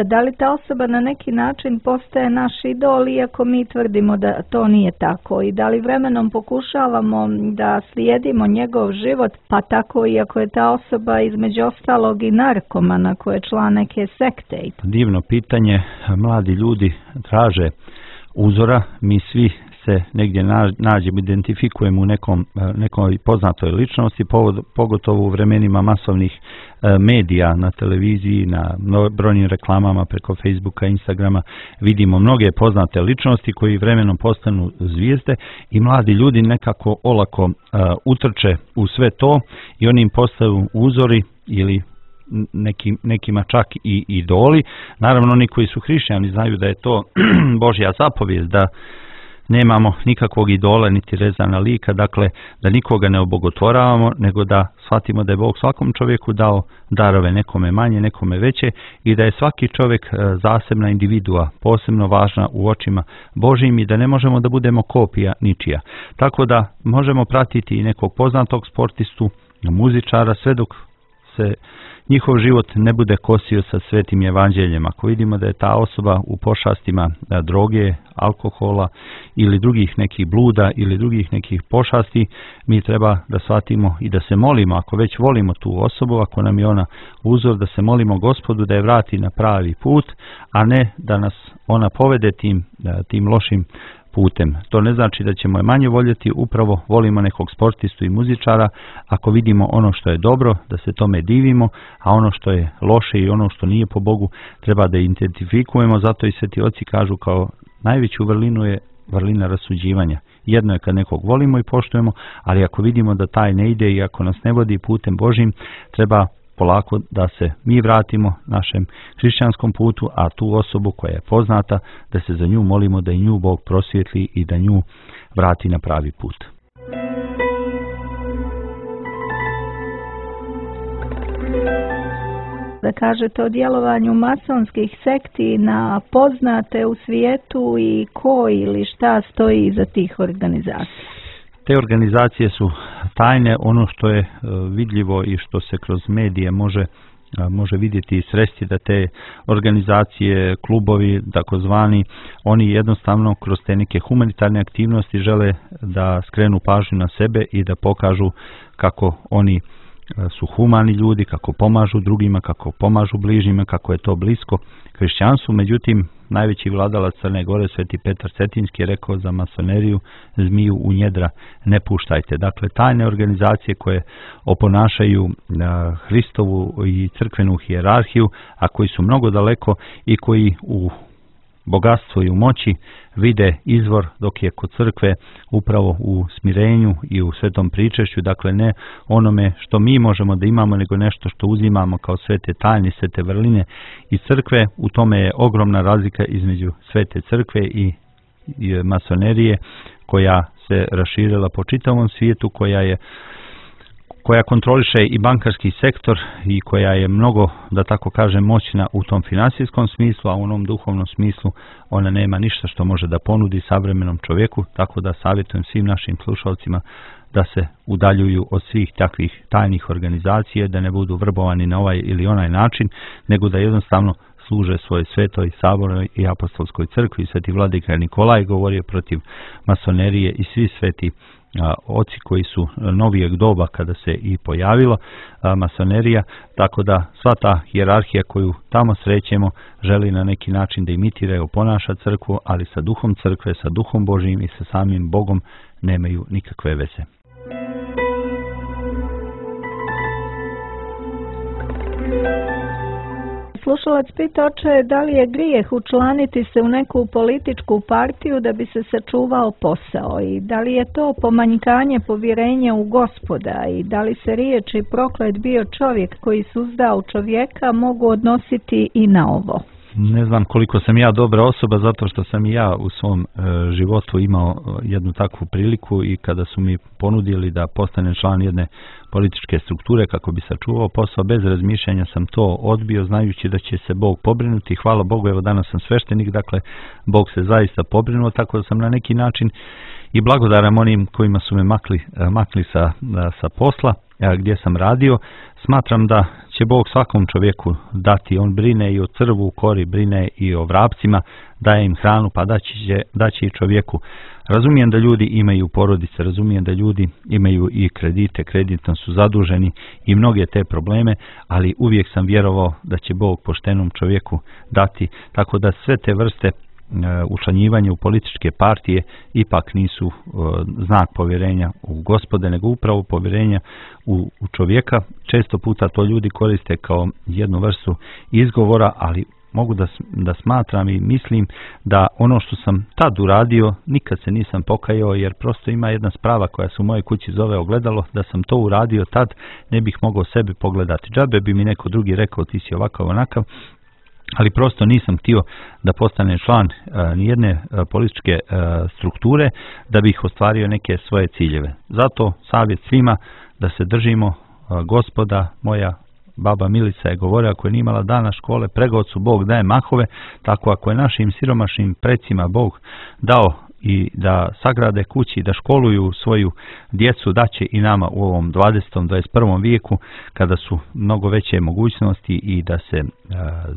da li ta osoba na neki način postaje naš idol, iako mi tvrdimo da to nije tako? I da li vremenom pokušavamo da slijedimo njegov život, pa tako iako je ta osoba između ostalog i narkomana koje je član neke sekte? Divno pitanje. Mladi ljudi traže uzora, mi svi se negdje nađemo, identifikujemo u nekom, nekoj poznatoj ličnosti, pogotovo u vremenima masovnih medija na televiziji, na brojnim reklamama preko Facebooka, Instagrama, vidimo mnoge poznate ličnosti koji vremenom postanu zvijezde i mladi ljudi nekako olako uh, utrče u sve to i oni im postaju uzori ili Nekim, nekima čak i idoli. Naravno, oni koji su hrišćani znaju da je to Božja zapovijest, da nemamo nikakvog idola niti rezana lika, dakle da nikoga ne obogotvoravamo, nego da shvatimo da je Bog svakom čovjeku dao darove, nekome manje, nekome veće, i da je svaki čovjek zasebna individua, posebno važna u očima Božjim i da ne možemo da budemo kopija ničija. Tako da možemo pratiti i nekog poznatog sportistu, muzičara, sve dok se njihov život ne bude kosio sa svetim evanđeljem. Ako vidimo da je ta osoba u pošastima droge, alkohola ili drugih nekih bluda ili drugih nekih pošasti, mi treba da shvatimo i da se molimo, ako već volimo tu osobu, ako nam je ona uzor, da se molimo Gospodu da je vrati na pravi put, a ne da nas ona povede tim, tim lošim putem. To ne znači da ćemo je manje voljeti, upravo volimo nekog sportistu i muzičara ako vidimo ono što je dobro, da se tome divimo, a ono što je loše i ono što nije po Bogu treba da identifikujemo, zato i sveti oci kažu kao najveću vrlinu je vrlina rasuđivanja. Jedno je kad nekog volimo i poštujemo, ali ako vidimo da taj ne ide i ako nas ne vodi putem Božim, treba polako da se mi vratimo našem hrišćanskom putu, a tu osobu koja je poznata, da se za nju molimo da i nju Bog prosvijetli i da nju vrati na pravi put. Da kažete o djelovanju masonskih sekti na poznate u svijetu i ko ili šta stoji iza tih organizacija? Te organizacije su tajne, ono što je vidljivo i što se kroz medije može može vidjeti i sresti da te organizacije, klubovi, takozvani, oni jednostavno kroz te neke humanitarne aktivnosti žele da skrenu pažnju na sebe i da pokažu kako oni su humani ljudi, kako pomažu drugima, kako pomažu bližnjima, kako je to blisko hrišćanstvu. Međutim, najveći vladalac Crne Gore, sveti Petar Cetinski, je rekao za masoneriju: zmiju u njedra ne puštajte. Dakle, tajne organizacije koje oponašaju Hristovu i crkvenu hijerarhiju, a koji su mnogo daleko i koji u bogatstvu i u moći vide izvor, dok je kod crkve upravo u smirenju i u svetom pričešću, dakle ne onome što mi možemo da imamo, nego nešto što uzimamo kao svete tajne, svete vrline iz crkve. U tome je ogromna razlika između svete crkve i, i masonerije, koja se raširila po čitavom svijetu, koja je koja kontroliše i bankarski sektor i koja je mnogo, da tako kažem, moćna u tom finansijskom smislu, a u onom duhovnom smislu ona nema ništa što može da ponudi savremenom čovjeku, tako da savjetujem svim našim slušalcima da se udaljuju od svih takvih tajnih organizacija, da ne budu vrbovani na ovaj ili onaj način, nego da jednostavno služe svoje svetoj, sabornoj i apostolskoj crkvi. Sveti vladika Nikolaj govorio protiv masonerije i svi sveti a, oci koji su novijeg doba kada se i pojavilo a, masonerija, tako da sva ta hijerarhija koju tamo srećemo želi na neki način da imitira i oponaša crkvu, ali sa duhom crkve, sa duhom Božijim i sa samim Bogom nemaju nikakve veze. Slušalac pita, oče, da li je grijeh učlaniti se u neku političku partiju da bi se sačuvao posao i da li je to pomanjkanje povjerenja u Gospoda i da li se riječi proklet bio čovjek koji suzdao čovjeka mogu odnositi i na ovo? Ne znam koliko sam ja dobra osoba, zato što sam i ja u svom e, životu imao jednu takvu priliku i kada su mi ponudili da postanem član jedne političke strukture kako bi sačuvao posao, bez razmišljanja sam to odbio, znajući da će se Bog pobrinuti. Hvala Bogu, evo danas sam sveštenik, dakle Bog se zaista pobrinuo, tako da sam na neki način i blagodaram onim kojima su me makli, makli sa, sa posla gdje sam radio. Smatram da će Bog svakom čovjeku dati, on brine i o crvu, kori, brine i o vrapcima, daje im hranu, pa daće, daće i čovjeku. Razumijem da ljudi imaju porodice, razumijem da ljudi imaju i kredite, kreditno su zaduženi i mnoge te probleme, ali uvijek sam vjerovao da će Bog poštenom čovjeku dati, tako da sve te vrste učlanjivanje u političke partije ipak nisu znak povjerenja u Gospode, nego upravo povjerenja u, u čovjeka. Često puta to ljudi koriste kao jednu vrstu izgovora, ali mogu da, da smatram i mislim da ono što sam tad uradio, nikad se nisam pokajao, jer prosto ima jedna sprava koja se u mojoj kući zove ogledalo, da sam to uradio tad, ne bih mogao sebe pogledati. Džabe bi mi neko drugi rekao ti si ovakav onakav, ali prosto nisam htio da postanem član uh, nijedne uh, političke uh, strukture da bih ostvario neke svoje ciljeve. Zato savjet svima da se držimo uh, Gospoda. Moja baba Milica je govorila, ako je nije imala dana škole, pregocu Bog daje mahove, tako ako je našim siromašnim precima Bog dao i da sagrade kući, da školuju svoju djecu, daće i nama u ovom dvadesetom, dvadeset prvom vijeku, kada su mnogo veće mogućnosti i da se e,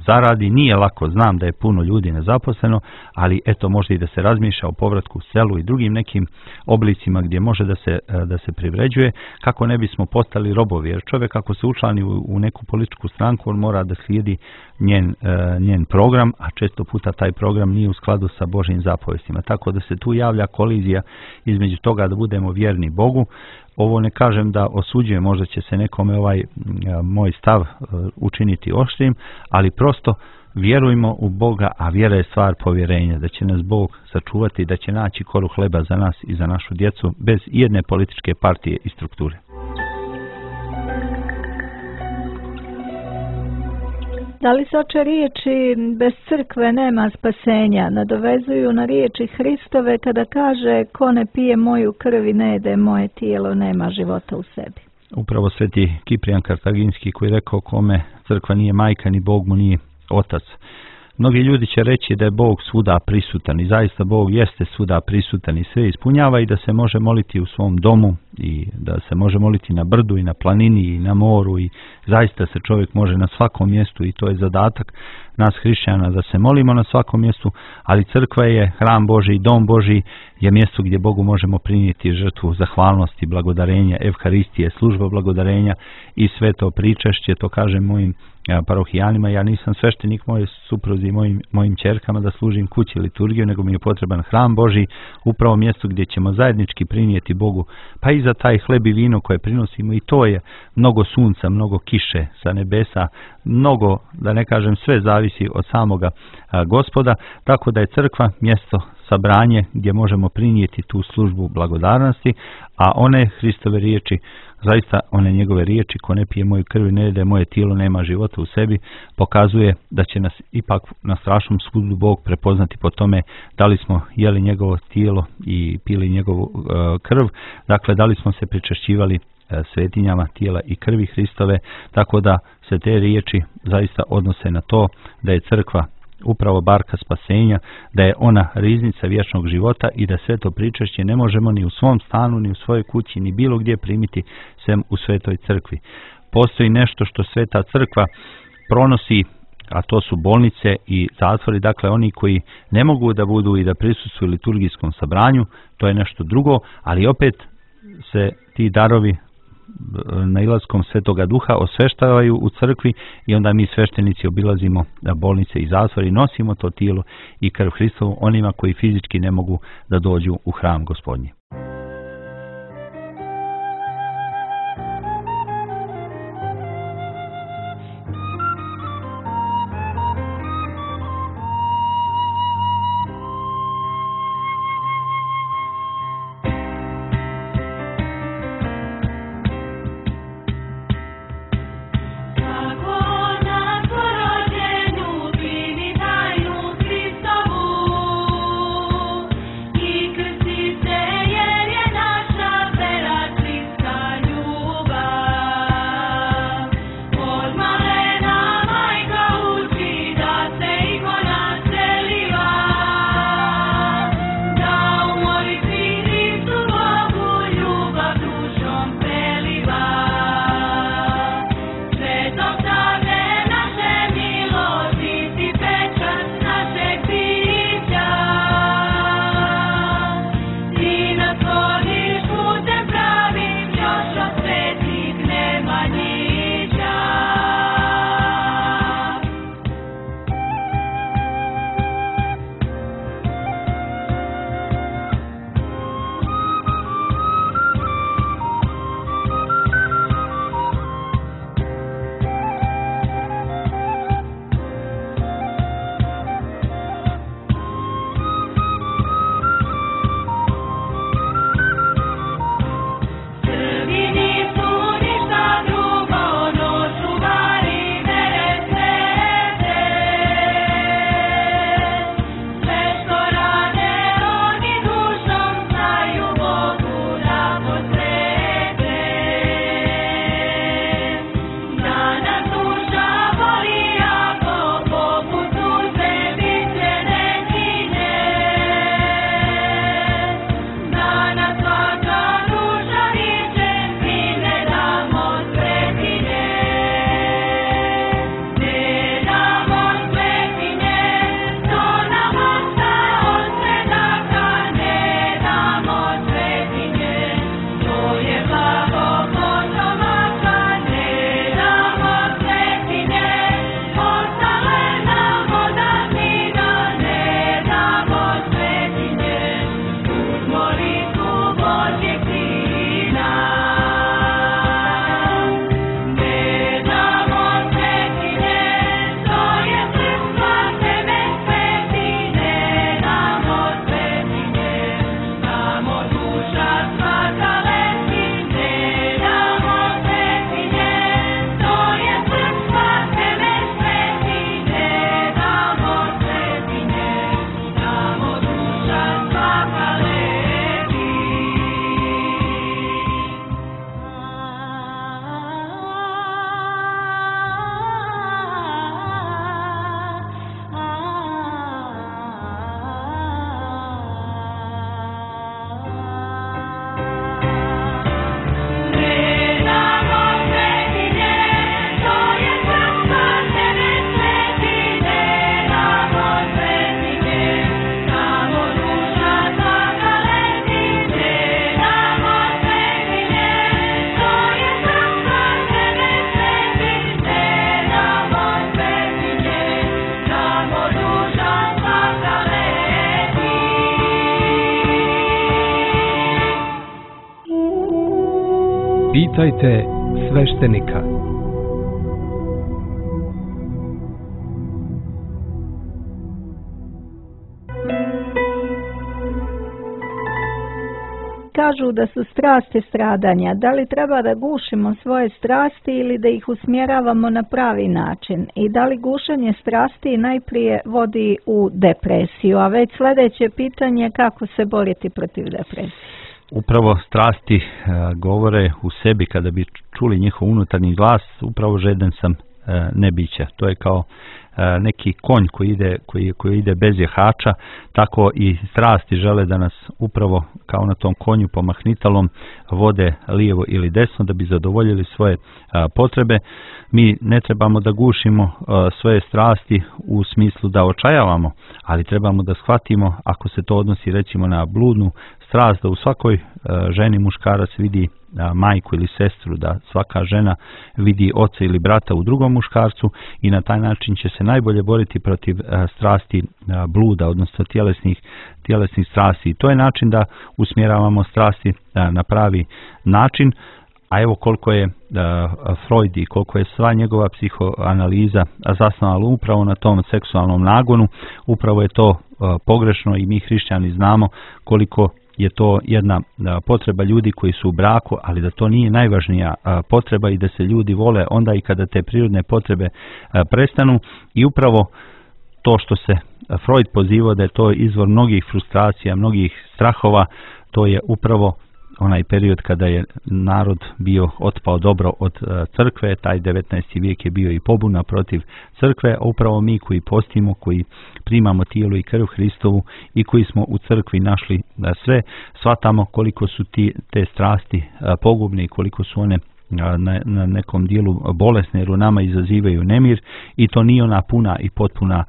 zaradi. Nije lako, znam da je puno ljudi nezaposleno, ali eto, može i da se razmišlja o povratku u selu i drugim nekim oblicima gdje može da se, e, da se privređuje, kako ne bismo postali robovi. Jer čovjek ako se učlani u, u neku političku stranku, on mora da slijedi njen, e, njen program, a često puta taj program nije u skladu sa Božjim zapovestima. Tako da se se tu javlja kolizija između toga da budemo vjerni Bogu. Ovo ne kažem da osuđujem, možda će se nekome ovaj moj stav učiniti oštrim, ali prosto vjerujmo u Boga, a vjera je stvar povjerenja, da će nas Bog sačuvati, da će naći koru hleba za nas i za našu djecu bez jedne političke partije i strukture. Da li se oče riječi bez crkve nema spasenja nadovezuju na riječi Hristove kada kaže ko ne pije moju krv i ne jede moje tijelo nema života u sebi? Upravo sveti Kiprijan Kartaginski koji je rekao kome crkva nije majka ni Bog mu nije otac. Mnogi ljudi će reći da je Bog svuda prisutan i zaista Bog jeste svuda prisutan i sve ispunjava i da se može moliti u svom domu i da se može moliti na brdu i na planini i na moru i zaista se čovjek može na svakom mjestu i to je zadatak nas hrišćana da se molimo na svakom mjestu, ali crkva je hram Božji i dom Božji je mjesto gdje Bogu možemo prinijeti žrtvu zahvalnosti, blagodarenja, evharistije, služba blagodarenja i sve to pričašće, to kažem mojim parohijanima, ja nisam sveštenik moje supruzi i mojim, mojim ćerkama da služim kući liturgiju, nego mi je potreban hram Božji, upravo mjesto gdje ćemo zajednički prinijeti Bogu, pa i za taj hleb i vino koje prinosimo i to je mnogo sunca, mnogo kiše sa nebesa, mnogo, da ne kažem sve zavisi od samoga a, Gospoda, tako da je crkva mjesto sabranje gdje možemo prinijeti tu službu blagodarnosti, a one Hristove riječi, zaista one njegove riječi, ko ne pije moju krv i ne jede moje tijelo nema života u sebi, pokazuje da će nas ipak na strašnom sudu Bog prepoznati po tome da li smo jeli njegovo tijelo i pili njegovu uh, krv, dakle da li smo se pričešćivali uh, svetinjama tijela i krvi Hristove, tako da se te riječi zaista odnose na to da je crkva upravo barka spasenja, da je ona riznica vječnog života i da sve to pričešće ne možemo ni u svom stanu, ni u svojoj kući, ni bilo gdje primiti sem u svetoj crkvi. Postoji nešto što sveta crkva pronosi, a to su bolnice i zatvori, dakle oni koji ne mogu da budu i da prisustvuju liturgijskom sabranju, to je nešto drugo, ali opet se ti darovi nailaskom Svetoga Duha osveštavaju u crkvi i onda mi sveštenici obilazimo bolnice i zatvore i nosimo to tijelo i krv Hristovu onima koji fizički ne mogu da dođu u hram Gospodnji. Say Pitajte sveštenika. Kažu da su strasti stradanja. Da li treba da gušimo svoje strasti ili da ih usmjeravamo na pravi način? I da li gušenje strasti najprije vodi u depresiju? A već sljedeće pitanje, kako se boriti protiv depresije? Upravo strasti e, govore u sebi, kada bi čuli njihov unutarnji glas, upravo žeden sam e, nebića. To je kao e, neki konj koji ide, koji, koji ide bez jehača, tako i strasti žele da nas upravo kao na tom konju pomahnitalom vode lijevo ili desno da bi zadovoljili svoje a, potrebe. Mi ne trebamo da gušimo a, svoje strasti u smislu da očajavamo, ali trebamo da shvatimo, ako se to odnosi recimo na bludnu strast, da u svakoj a, ženi muškarac vidi a, majku ili sestru, da svaka žena vidi oca ili brata u drugom muškarcu i na taj način će se najbolje boriti protiv a, strasti a, bluda, odnosno tjelesnih, tjelesnih strasti. I to je način da usmjeravamo strasti a, na pravi način. A evo koliko je uh, Freud i koliko je sva njegova psihoanaliza zasnovala upravo na tom seksualnom nagonu, upravo je to uh, pogrešno i mi hrišćani znamo koliko je to jedna uh, potreba ljudi koji su u braku, ali da to nije najvažnija uh, potreba i da se ljudi vole onda i kada te prirodne potrebe uh, prestanu. I upravo to što se Freud pozivao da je to izvor mnogih frustracija, mnogih strahova, to je upravo onaj period kada je narod bio otpao dobro od crkve. Taj devetnaesti vijek je bio i pobuna protiv crkve, a upravo mi koji postimo, koji primamo tijelo i krv Hristovu i koji smo u crkvi našli sve, shvatamo koliko su ti, te strasti pogubne i koliko su one na, na nekom dijelu bolesne, jer u nama izazivaju nemir i to nije ona puna i potpuna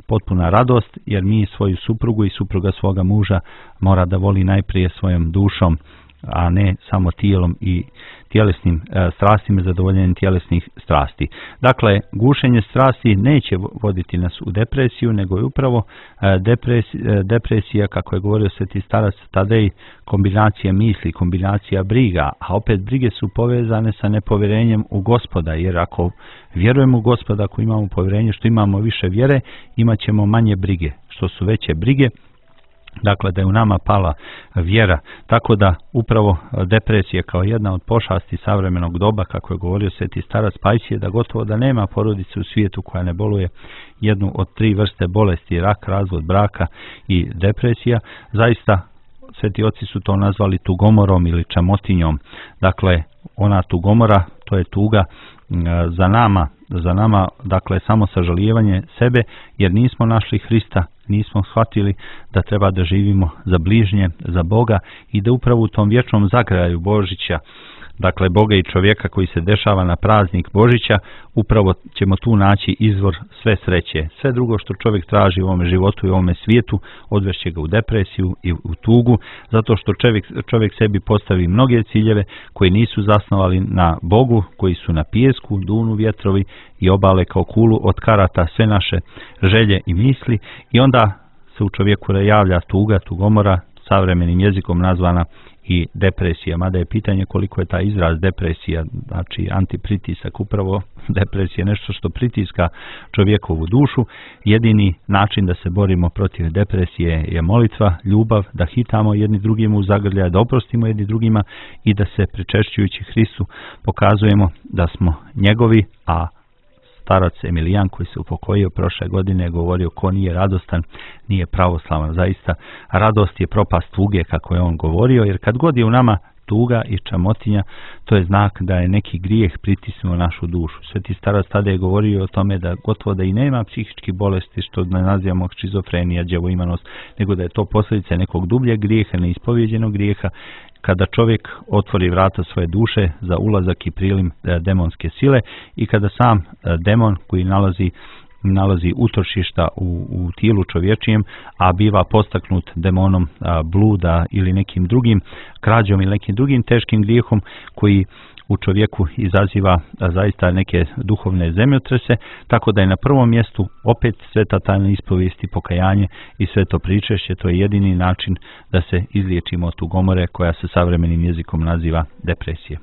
potpuna radost, jer mi svoju suprugu i supruga svoga muža mora da voli najprije svojom dušom, a ne samo tijelom i tjelesnim e, strastima, zadovoljenjem tjelesnih strasti. Dakle, gušenje strasti neće voditi nas u depresiju, nego je upravo e, depresija, depresija, kako je govorio sveti starac Tadej, kombinacija misli, kombinacija briga, a opet brige su povezane sa nepovjerenjem u Gospoda, jer ako vjerujemo u Gospoda, ako imamo povjerenje, što imamo više vjere, imat ćemo manje brige. Što su veće brige, dakle da je u nama pala vjera, tako da upravo depresija kao jedna od pošasti savremenog doba, kako je govorio sveti starac Pajsije, da gotovo da nema porodice u svijetu koja ne boluje jednu od tri vrste bolesti, rak, razvod braka i depresija. Zaista sveti oci su to nazvali tugomorom ili čamotinjom. Dakle, ona tugomora, to je tuga za nama, za nama, dakle, samo sažalijevanje sebe, jer nismo našli Hrista, nismo shvatili da treba da živimo za bližnje, za Boga i da upravo u tom vječnom zagraju Božića, dakle Boga i čovjeka koji se dešava na praznik Božića, upravo ćemo tu naći izvor sve sreće. Sve drugo što čovjek traži u ovome životu i u ovome svijetu odvešće ga u depresiju i u tugu, zato što čovjek, čovjek sebi postavi mnoge ciljeve koji nisu zasnovali na Bogu, koji su na pijesku, dunu vjetrovi i obale kao kulu od karata sve naše želje i misli, i onda se u čovjeku javlja tuga, tugomora, savremenim jezikom nazvana i depresija, mada je pitanje koliko je taj izraz depresija, znači antipritisak, upravo depresija je nešto što pritiska čovjekovu dušu. Jedini način da se borimo protiv depresije je molitva, ljubav, da hitamo jedni drugima u zagrljaj, da oprostimo jedni drugima i da se pričešćujući Hristu pokazujemo da smo njegovi, a starac Emilijan koji se upokojio prošle godine je govorio ko nije radostan nije pravoslavan. Zaista radost je propast tuge, kako je on govorio, jer kad god je u nama tuga i čamotinja, to je znak da je neki grijeh pritisnuo našu dušu. Sveti starac tada je govorio o tome da gotovo da i nema psihičkih bolesti, što ne nazivamo šizofrenija, đavoimanost, nego da je to posljedica nekog dubljeg grijeha, neispovjeđenog grijeha, kada čovjek otvori vrata svoje duše za ulazak i prilim demonske sile i kada sam demon koji nalazi nalazi utočišta u, u tijelu čovječijem, a biva postaknut demonom a, bluda ili nekim drugim krađom ili nekim drugim teškim grijehom koji u čovjeku izaziva a, zaista neke duhovne zemljotrese, tako da je na prvom mjestu opet sveta tajna ispovijesti, pokajanje i sveto pričešće. To je jedini način da se izliječimo od tugomore koja se savremenim jezikom naziva depresija.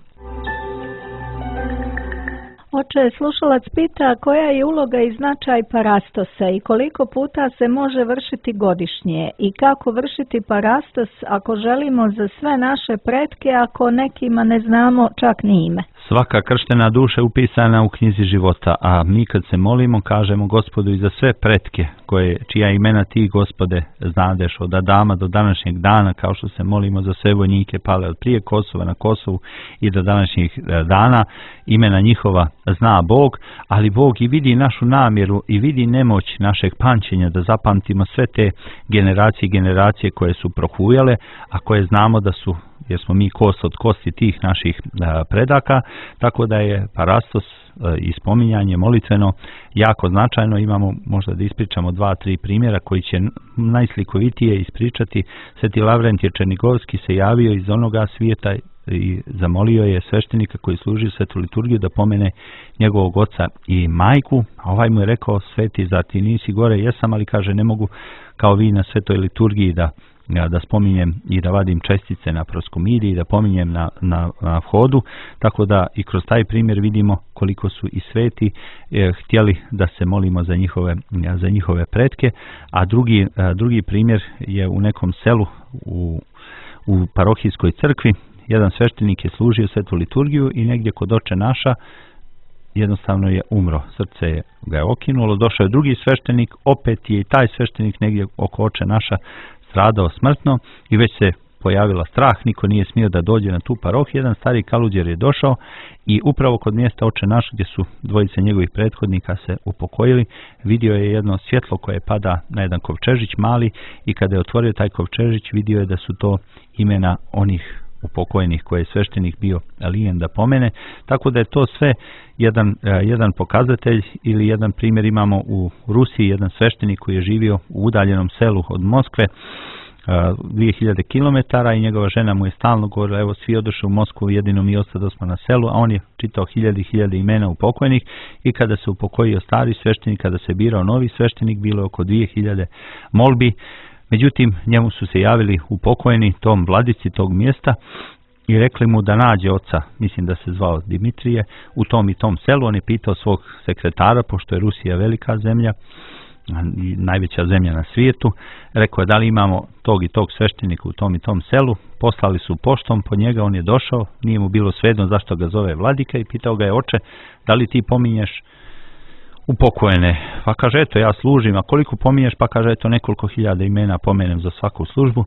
Oče, slušalac pita koja je uloga i značaj parastosa i koliko puta se može vršiti godišnje i kako vršiti parastos ako želimo za sve naše pretke, ako nekima ne znamo čak ni ime. Svaka krštena duša je upisana u knjizi života, a mi kad se molimo kažemo Gospodu i za sve pretke koje, čija imena ti, Gospode, znadeš od Adama do današnjeg dana, kao što se molimo za sve vojnike pale od prije Kosova na Kosovu i do današnjih dana, imena njihova zna Bog, ali Bog i vidi našu namjeru i vidi nemoć našeg pamćenja da zapamtimo sve te generacije i generacije koje su prohujale, a koje znamo da su, jer smo mi kost od kosti tih naših predaka, tako da je parastos i spominjanje molitveno jako značajno. Imamo možda da ispričamo dva, tri primjera koji će najslikovitije ispričati. Sveti Lavrentije Černigovski se javio iz onoga svijeta i zamolio je sveštenika koji služi svetu liturgiju da pomene njegovog oca i majku, a ovaj mu je rekao: sveti, zar ti nisi gore? Jesam, ali kaže ne mogu kao vi na svetoj liturgiji da da spominjem i da vadim čestice na proskomidi i da pominjem na, na, na vhodu, tako da i kroz taj primjer vidimo koliko su i sveti eh, htjeli da se molimo za njihove, za njihove pretke, a drugi, a drugi primjer je u nekom selu u, u parohijskoj crkvi. Jedan sveštenik je služio svetu liturgiju i negdje kod Oče naša jednostavno je umro, srce je ga je okinulo, došao je drugi sveštenik, opet je i taj sveštenik negdje oko Oče naša stradao smrtno i već se pojavila strah, niko nije smio da dođe na tu parohiju. Jedan stari kaluđer je došao i upravo kod mjesta Oče naš gdje su dvojice njegovih prethodnika se upokojili, vidio je jedno svjetlo koje pada na jedan kovčežić mali i kada je otvorio taj kovčežić vidio je da su to imena onih upokojenih koje je sveštenik bio lijen da pomene, tako da je to sve jedan, jedan pokazatelj ili jedan primjer. Imamo u Rusiji jedan sveštenik koji je živio u udaljenom selu od Moskve dvije hiljade kilometara i njegova žena mu je stalno govorila: evo svi odošli u Moskvu, jedino mi ostadosmo na selu, a on je čitao hiljade i hiljade imena upokojnih i kada se upokojio stari sveštenik, kada se birao novi sveštenik, bilo je oko dvije hiljade molbi. Međutim, njemu su se javili upokojeni, tom vladici tog mjesta, i rekli mu da nađe oca, mislim da se zvao Dimitrije, u tom i tom selu. On je pitao svog sekretara, pošto je Rusija velika zemlja, najveća zemlja na svijetu, rekao je da li imamo tog i tog sveštenika u tom i tom selu. Poslali su poštom po njega, on je došao, nije mu bilo svejedno zašto ga zove vladika i pitao ga je: oče, da li ti pominješ upokojene? Pa kaže: eto, ja služim. A koliko pominješ? Pa kaže: eto, nekoliko hiljada imena pomenem za svaku službu.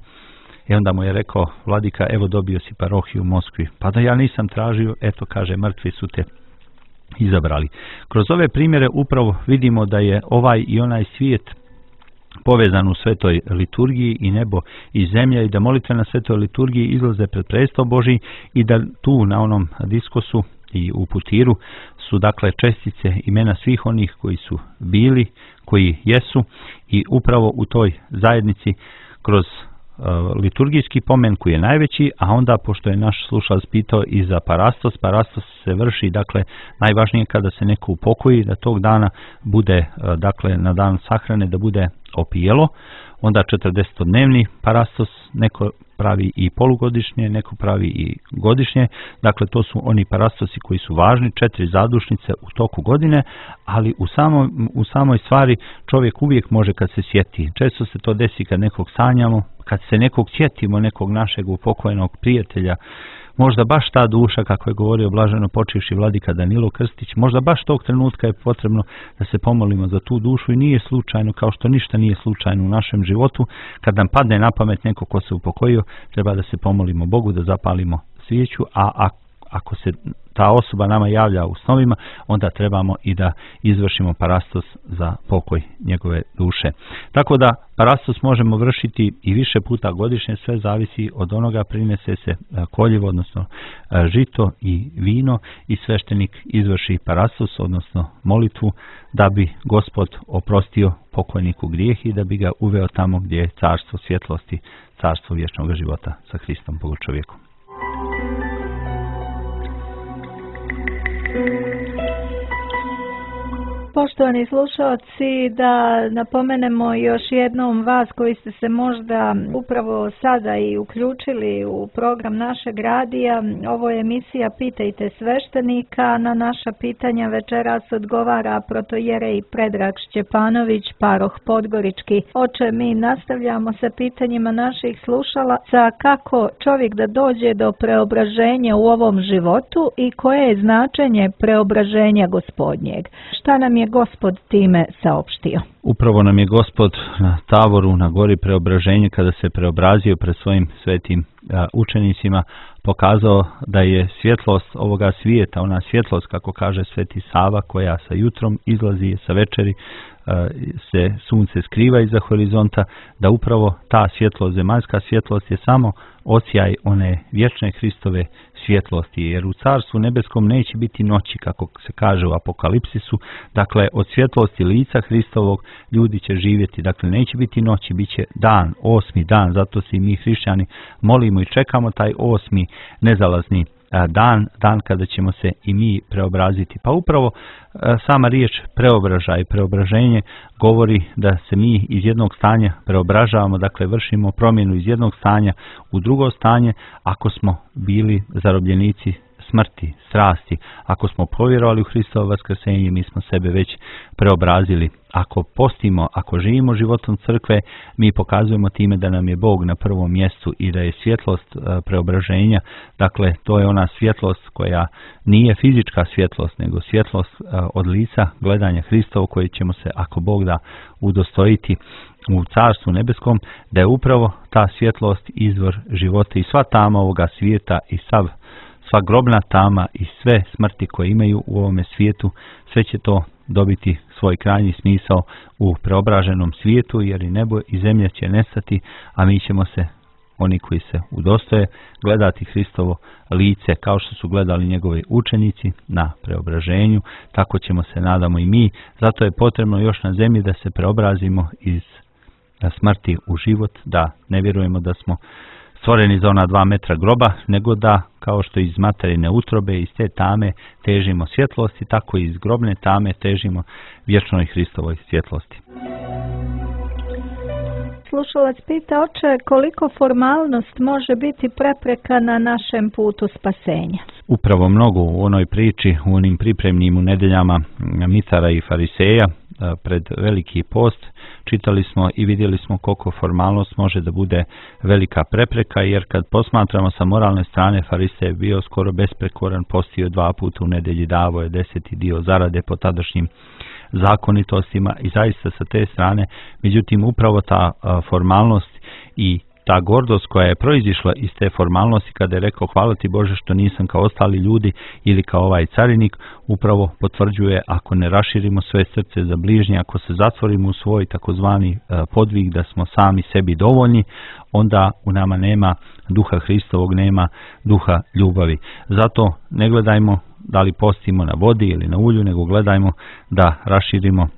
I onda mu je rekao vladika: evo, dobio si parohiju u Moskvi. Pa da ja nisam tražio, eto, kaže, mrtvi su te izabrali. Kroz ove primjere upravo vidimo da je ovaj i onaj svijet povezan u svetoj liturgiji, i nebo i zemlja, i da molitve na svetoj liturgiji izlaze pred presto Božji i da tu na onom diskosu i u putiru su dakle čestice imena svih onih koji su bili, koji jesu, i upravo u toj zajednici kroz uh, liturgijski pomen koji je najveći, a onda pošto je naš slušalac pitao i za parastos, parastos se vrši dakle najvažnije kada se neko upokoji, da tog dana bude uh, dakle na dan sahrane da bude opijelo, onda četrdesetodnevni parastos, neko pravi i polugodišnje, neko pravi i godišnje. Dakle, to su oni parastosi koji su važni, četiri zadušnice u toku godine, ali u, samo, u samoj stvari čovjek uvijek može kad se sjeti. Često se to desi kad nekog sanjamo, kad se nekog sjetimo, nekog našeg upokojenog prijatelja, možda baš ta duša, kako je govorio blaženo počivši vladika Danilo Krstić, možda baš tog trenutka je potrebno da se pomolimo za tu dušu, i nije slučajno, kao što ništa nije slučajno u našem životu. Kad nam padne na pamet neko ko se upokojio, treba da se pomolimo Bogu, da zapalimo svijeću, a ako se ta osoba nama javlja u snovima, onda trebamo i da izvršimo parastos za pokoj njegove duše. Tako da parastos možemo vršiti i više puta godišnje, sve zavisi od onoga. Prinese se koljevo, odnosno žito i vino, i sveštenik izvrši parastos, odnosno molitvu, da bi Gospod oprostio pokojniku grijeh i da bi ga uveo tamo gdje je carstvo svjetlosti, carstvo vječnog života sa Hristom Bogočovjekom. poštovani slušalci, da napomenemo još jednom vas koji ste se možda upravo sada i uključili u program našeg radija. Ovo je emisija Pitajte sveštenika. Na naša pitanja večeras odgovara protojerej Predrag Šćepanović, paroh Podgorički. Oče, mi nastavljamo sa pitanjima naših slušalaca kako čovjek da dođe do preobraženja u ovom životu i koje je značenje preobraženja Gospodnjeg. Šta nam je Gospod time saopštio? Upravo nam je Gospod na Tavoru, na gori preobraženja, kada se preobrazio pred svojim svetim a, učenicima, pokazao da je svjetlost ovoga svijeta, ona svjetlost, kako kaže sveti Sava, koja sa jutrom izlazi, sa večeri a, se sunce skriva iza horizonta, da upravo ta svjetlost, zemaljska svjetlost je samo odsjaj one vječne Hristove svjetlosti, jer u Carstvu nebeskom neće biti noći, kako se kaže u Apokalipsisu. Dakle, od svjetlosti lica Hristovog ljudi će živjeti. Dakle, neće biti noći, bit će dan, osmi dan. Zato se i mi hrišćani molimo i čekamo taj osmi nezalazni dan, dan kada ćemo se i mi preobraziti. Pa upravo sama riječ preobražaj, preobraženje govori da se mi iz jednog stanja preobražavamo, dakle vršimo promjenu iz jednog stanja u drugo stanje. Ako smo bili zarobljenici smrti, strasti, ako smo povjerovali u Hristovo vaskrsenje, mi smo sebe već preobrazili. Ako postimo, ako živimo životom crkve, mi pokazujemo time da nam je Bog na prvom mjestu i da je svjetlost preobraženja, dakle to je ona svjetlost koja nije fizička svjetlost, nego svjetlost od lica gledanja Hristovo, koji ćemo se, ako Bog da, udostojiti u Carstvu nebeskom, da je upravo ta svjetlost izvor života i sva tama ovoga svijeta i sav sva grobna tama i sve smrti koje imaju u ovome svijetu, sve će to dobiti svoj krajnji smisao u preobraženom svijetu, jer i nebo i zemlja će nestati, a mi ćemo se, oni koji se udostoje, gledati Hristovo lice kao što su gledali njegovi učenici na preobraženju, tako ćemo se, nadamo, i mi. Zato je potrebno još na zemlji da se preobrazimo iz smrti u život, da ne vjerujemo da smo stvoreni za ona dva metra groba, nego da, kao što iz materine utrobe, iz te tame težimo svjetlosti, tako i iz grobne tame težimo vječnoj Hristovoj svjetlosti. Slušalac pita, oče, koliko formalnost može biti prepreka na našem putu spasenja? Upravo mnogo. U onoj priči, u onim pripremnim u nedeljama Mitara i Fariseja pred veliki post, čitali smo i vidjeli smo koliko formalnost može da bude velika prepreka, jer kad posmatramo sa moralne strane, Farisej je bio skoro besprekoran, postio dva puta u nedelji, davao je deseti dio zarade po tadašnjim zakonitostima i zaista sa te strane, međutim upravo ta a, formalnost i ta gordost koja je proizišla iz te formalnosti, kada je rekao hvala ti Bože što nisam kao ostali ljudi ili kao ovaj carinik, upravo potvrđuje, ako ne raširimo svoje srce za bližnje, ako se zatvorimo u svoj takozvani podvig da smo sami sebi dovoljni, onda u nama nema duha Hristovog, nema duha ljubavi. Zato ne gledajmo da li postimo na vodi ili na ulju, nego gledajmo da raširimo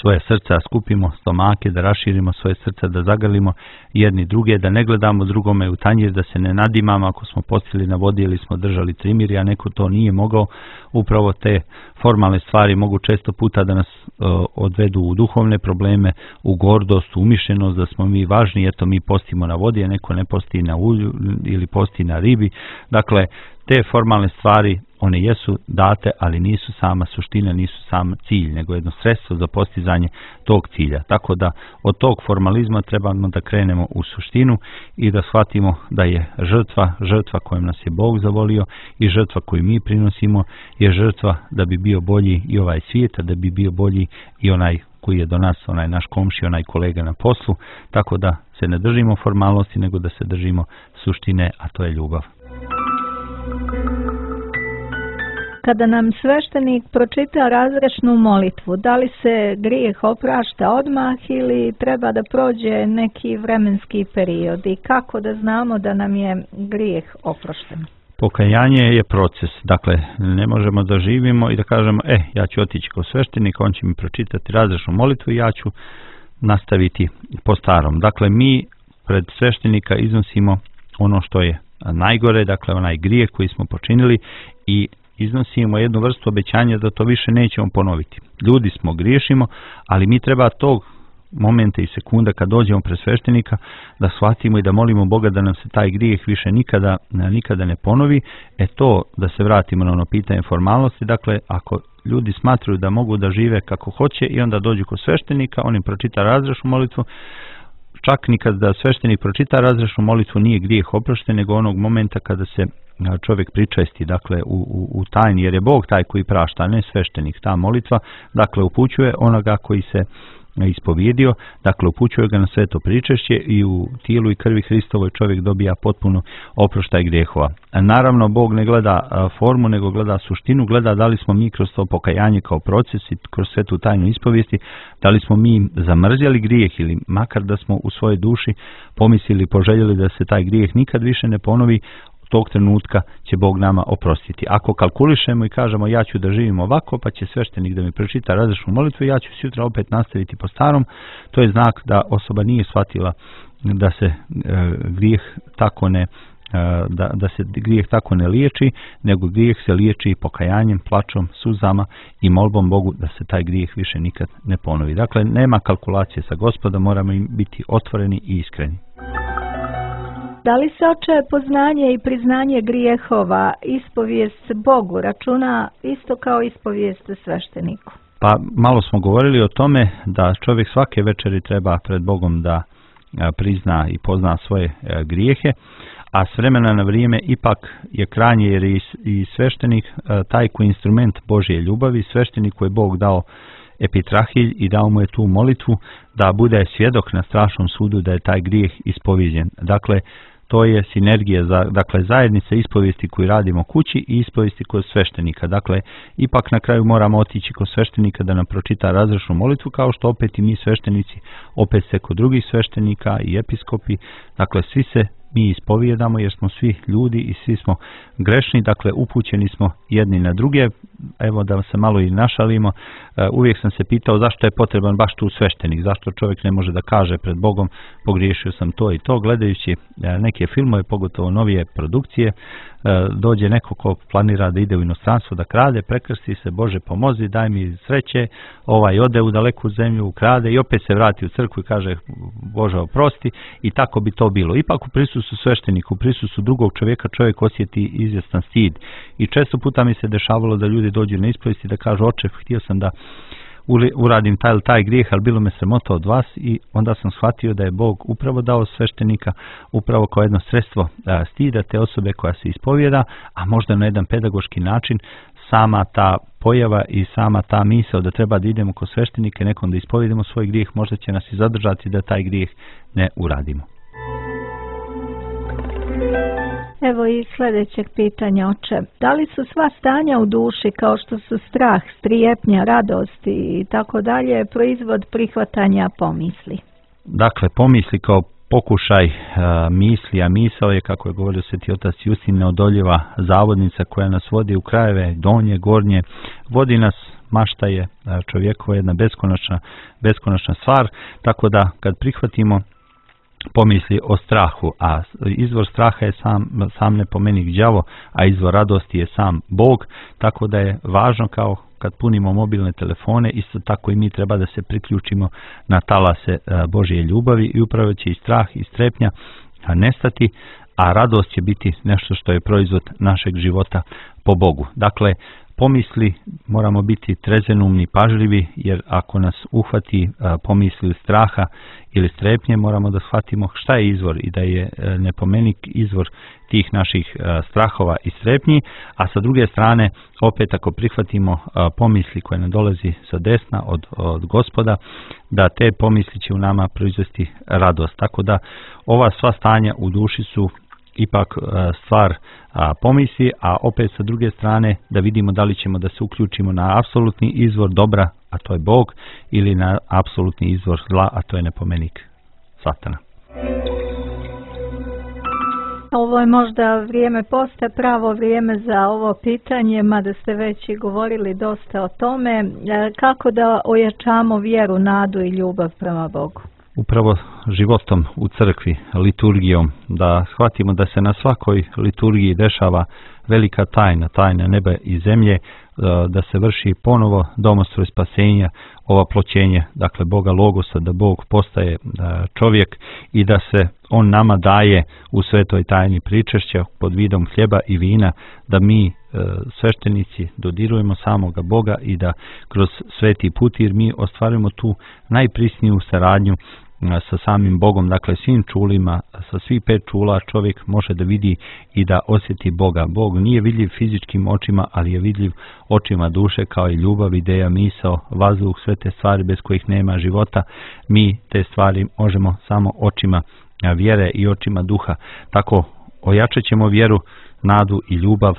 svoje srca, skupimo stomake, da raširimo svoje srca, da zagrlimo jedni druge, da ne gledamo drugome u tanjir, da se ne nadimamo ako smo postili na vodi ili smo držali trimiri, a neko to nije mogao. Upravo te formalne stvari mogu često puta da nas uh, odvedu u duhovne probleme, u gordost, u umišljenost, da smo mi važni, eto mi postimo na vodi, a neko ne posti na ulju ili posti na ribi. Dakle, te formalne stvari, one jesu date, ali nisu sama suština, nisu sam cilj, nego jedno sredstvo za postizanje tog cilja. Tako da od tog formalizma trebamo da krenemo u suštinu i da shvatimo da je žrtva, žrtva kojom nas je Bog zavolio i žrtva koju mi prinosimo je žrtva da bi bio bolji i ovaj svijet, da bi bio bolji i onaj koji je do nas, onaj naš komši, onaj kolega na poslu. Tako da se ne držimo formalnosti, nego da se držimo suštine, a to je ljubav. Kada nam sveštenik pročita razrešnu molitvu, da li se grijeh oprašta odmah ili treba da prođe neki vremenski period i kako da znamo da nam je grijeh oprošten? Pokajanje je proces, dakle ne možemo da živimo i da kažemo e, ja ću otići kod sveštenika, on će mi pročitati razrešnu molitvu i ja ću nastaviti po starom. Dakle, mi pred sveštenika iznosimo ono što je najgore, dakle onaj grijeh koji smo počinili i iznosimo jednu vrstu obećanja da to više nećemo ponoviti. Ljudi smo, griješimo, ali mi treba tog momenta i sekunda kad dođemo pred sveštenika da shvatimo i da molimo Boga da nam se taj grijeh više nikada, nikada ne ponovi. E to, da se vratimo na ono pitanje formalnosti, dakle ako ljudi smatruju da mogu da žive kako hoće i onda dođu kod sveštenika, on im pročita razrešnu molitvu, čak nikad da sveštenik pročita razrešnu molitvu nije grijeh oprošten, nego onog momenta kada se čovjek pričesti, dakle u, u, u tajni, jer je Bog taj koji prašta, a ne sveštenik. Ta molitva, dakle, upućuje onoga koji se ispovjedio, dakle upućuje ga na sveto pričešće i u tijelu i krvi Hristovoj čovjek dobija potpuno oproštaj grijehova. Naravno, Bog ne gleda formu, nego gleda suštinu, gleda da li smo mi kroz to pokajanje kao proces i kroz svetu tajnu ispovijesti, da li smo mi zamrzjeli grijeh ili makar da smo u svojoj duši pomislili, poželjeli da se taj grijeh nikad više ne ponovi, tog trenutka će Bog nama oprostiti. Ako kalkulišemo i kažemo ja ću da živim ovako, pa će sveštenik da mi pročita razrešnu molitvu, ja ću sutra opet nastaviti po starom, to je znak da osoba nije shvatila da se e, grijeh tako ne e, da, da se grijeh tako ne liječi, nego grijeh se liječi pokajanjem, plačom, suzama i molbom Bogu da se taj grijeh više nikad ne ponovi. Dakle, nema kalkulacije sa Gospodom, moramo im biti otvoreni i iskreni. Da li se, oče, poznanje i priznanje grijehova, ispovijest Bogu računa isto kao ispovijest svešteniku? Pa malo smo govorili o tome da čovjek svake večeri treba pred Bogom da prizna i pozna svoje grijehe, a s vremena na vrijeme ipak je krajnje, jer je i sveštenik taj koji instrument Božje ljubavi, sveštenik koji je Bog dao epitrahilj i dao mu je tu molitvu da bude svjedok na strašnom sudu da je taj grijeh ispovjeđen. Dakle, to je sinergija, za, dakle zajednica ispovijesti koju radimo kući i ispovijesti kod sveštenika. Dakle, ipak na kraju moramo otići kod sveštenika da nam pročita razrešnu molitvu, kao što opet i mi sveštenici, opet se kod drugih sveštenika i episkopi, dakle svi se mi ispovijedamo jer smo svi ljudi i svi smo grešni, dakle upućeni smo jedni na druge. Evo da se malo i našalimo, uvijek sam se pitao zašto je potreban baš tu sveštenik, zašto čovjek ne može da kaže pred Bogom pogriješio sam to i to. Gledajući neke filmove, pogotovo novije produkcije, dođe neko ko planira da ide u inostranstvo da krade, prekrsti se, Bože pomozi, daj mi sreće, ovaj ode u daleku zemlju, krade i opet se vrati u crkvu i kaže Bože oprosti, i tako bi to bilo. Ipak u prisustvu sveštenika, u prisustvu drugog čovjeka čovjek osjeti izvjestan stid i često puta mi se dešavalo da ljudi dođu na ispovijest i da kažu oče, htio sam da uradim taj ili taj grijeh, ali bilo me sramota od vas, i onda sam shvatio da je Bog upravo dao sveštenika upravo kao jedno sredstvo stida te osobe koja se ispovijeda, a možda na jedan pedagoški način sama ta pojava i sama ta misao da treba da idemo kod sveštenika nekom da ispovijedamo svoj grijeh, možda će nas i zadržati da taj grijeh ne uradimo. Evo i sljedećeg pitanja, oče. Da li su sva stanja u duši, kao što su strah, strijepnja, radost i tako dalje, proizvod prihvatanja pomisli? Dakle, pomisli kao pokušaj uh, misli, a misao je, kako je govorio Sveti otac Justin, neodoljiva zavodnica koja nas vodi u krajeve donje, gornje, vodi nas, mašta je čovjekova jedna beskonačna, beskonačna stvar, tako da kad prihvatimo pomisli o strahu, a izvor straha je sam, sam nepomenik đavo, a izvor radosti je sam Bog, tako da je važno kao kad punimo mobilne telefone, isto tako i mi treba da se priključimo na talase Božje ljubavi i upravo će i strah i strepnja nestati, a radost će biti nešto što je proizvod našeg života po Bogu. Dakle, pomisli moramo biti trezenumni, pažljivi, jer ako nas uhvati pomisli straha ili strepnje, moramo da shvatimo šta je izvor i da je nepomenik izvor tih naših strahova i strepnji, a sa druge strane, opet ako prihvatimo pomisli koje nam dolazi sa desna od, od Gospoda, da te pomisli će u nama proizvesti radost. Tako da ova sva stanja u duši su ipak stvar pomisli, a opet sa druge strane da vidimo da li ćemo da se uključimo na apsolutni izvor dobra, a to je Bog, ili na apsolutni izvor zla, a to je nepomenik Satana. Ovo je možda vrijeme posta, pravo vrijeme za ovo pitanje, mada ste već i govorili dosta o tome. Kako da ojačamo vjeru, nadu i ljubav prema Bogu? upravo životom u crkvi, liturgijom, da shvatimo da se na svakoj liturgiji dešava velika tajna, tajna neba i zemlje, da se vrši ponovo domostroj spasenja, ova ploćenje, dakle Boga Logosa, da Bog postaje čovjek i da se On nama daje u svetoj tajni pričešća pod vidom hljeba i vina, da mi sveštenici dodirujemo samoga Boga i da kroz sveti putir mi ostvarujemo tu najprisniju saradnju sa samim Bogom, dakle svim čulima, sa svih pet čula čovjek može da vidi i da osjeti Boga. Bog nije vidljiv fizičkim očima, ali je vidljiv očima duše, kao i ljubav, ideja, misao, vazduh, sve te stvari bez kojih nema života. Mi te stvari možemo samo očima vjere i očima duha. Tako ojačat ćemo vjeru, nadu i ljubav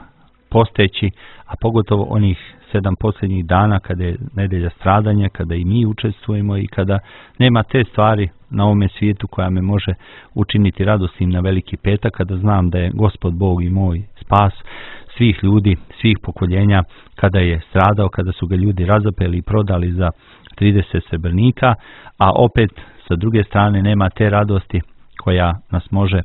posteći, a pogotovo onih sedam posljednjih dana kada je nedelja stradanja, kada i mi učestvujemo i kada nema te stvari na ovome svijetu koja me može učiniti radosnim na veliki petak, kada znam da je Gospod Bog i moj spas svih ljudi, svih pokoljenja, kada je stradao, kada su ga ljudi razapeli i prodali za trideset srebrnika, a opet sa druge strane nema te radosti koja nas može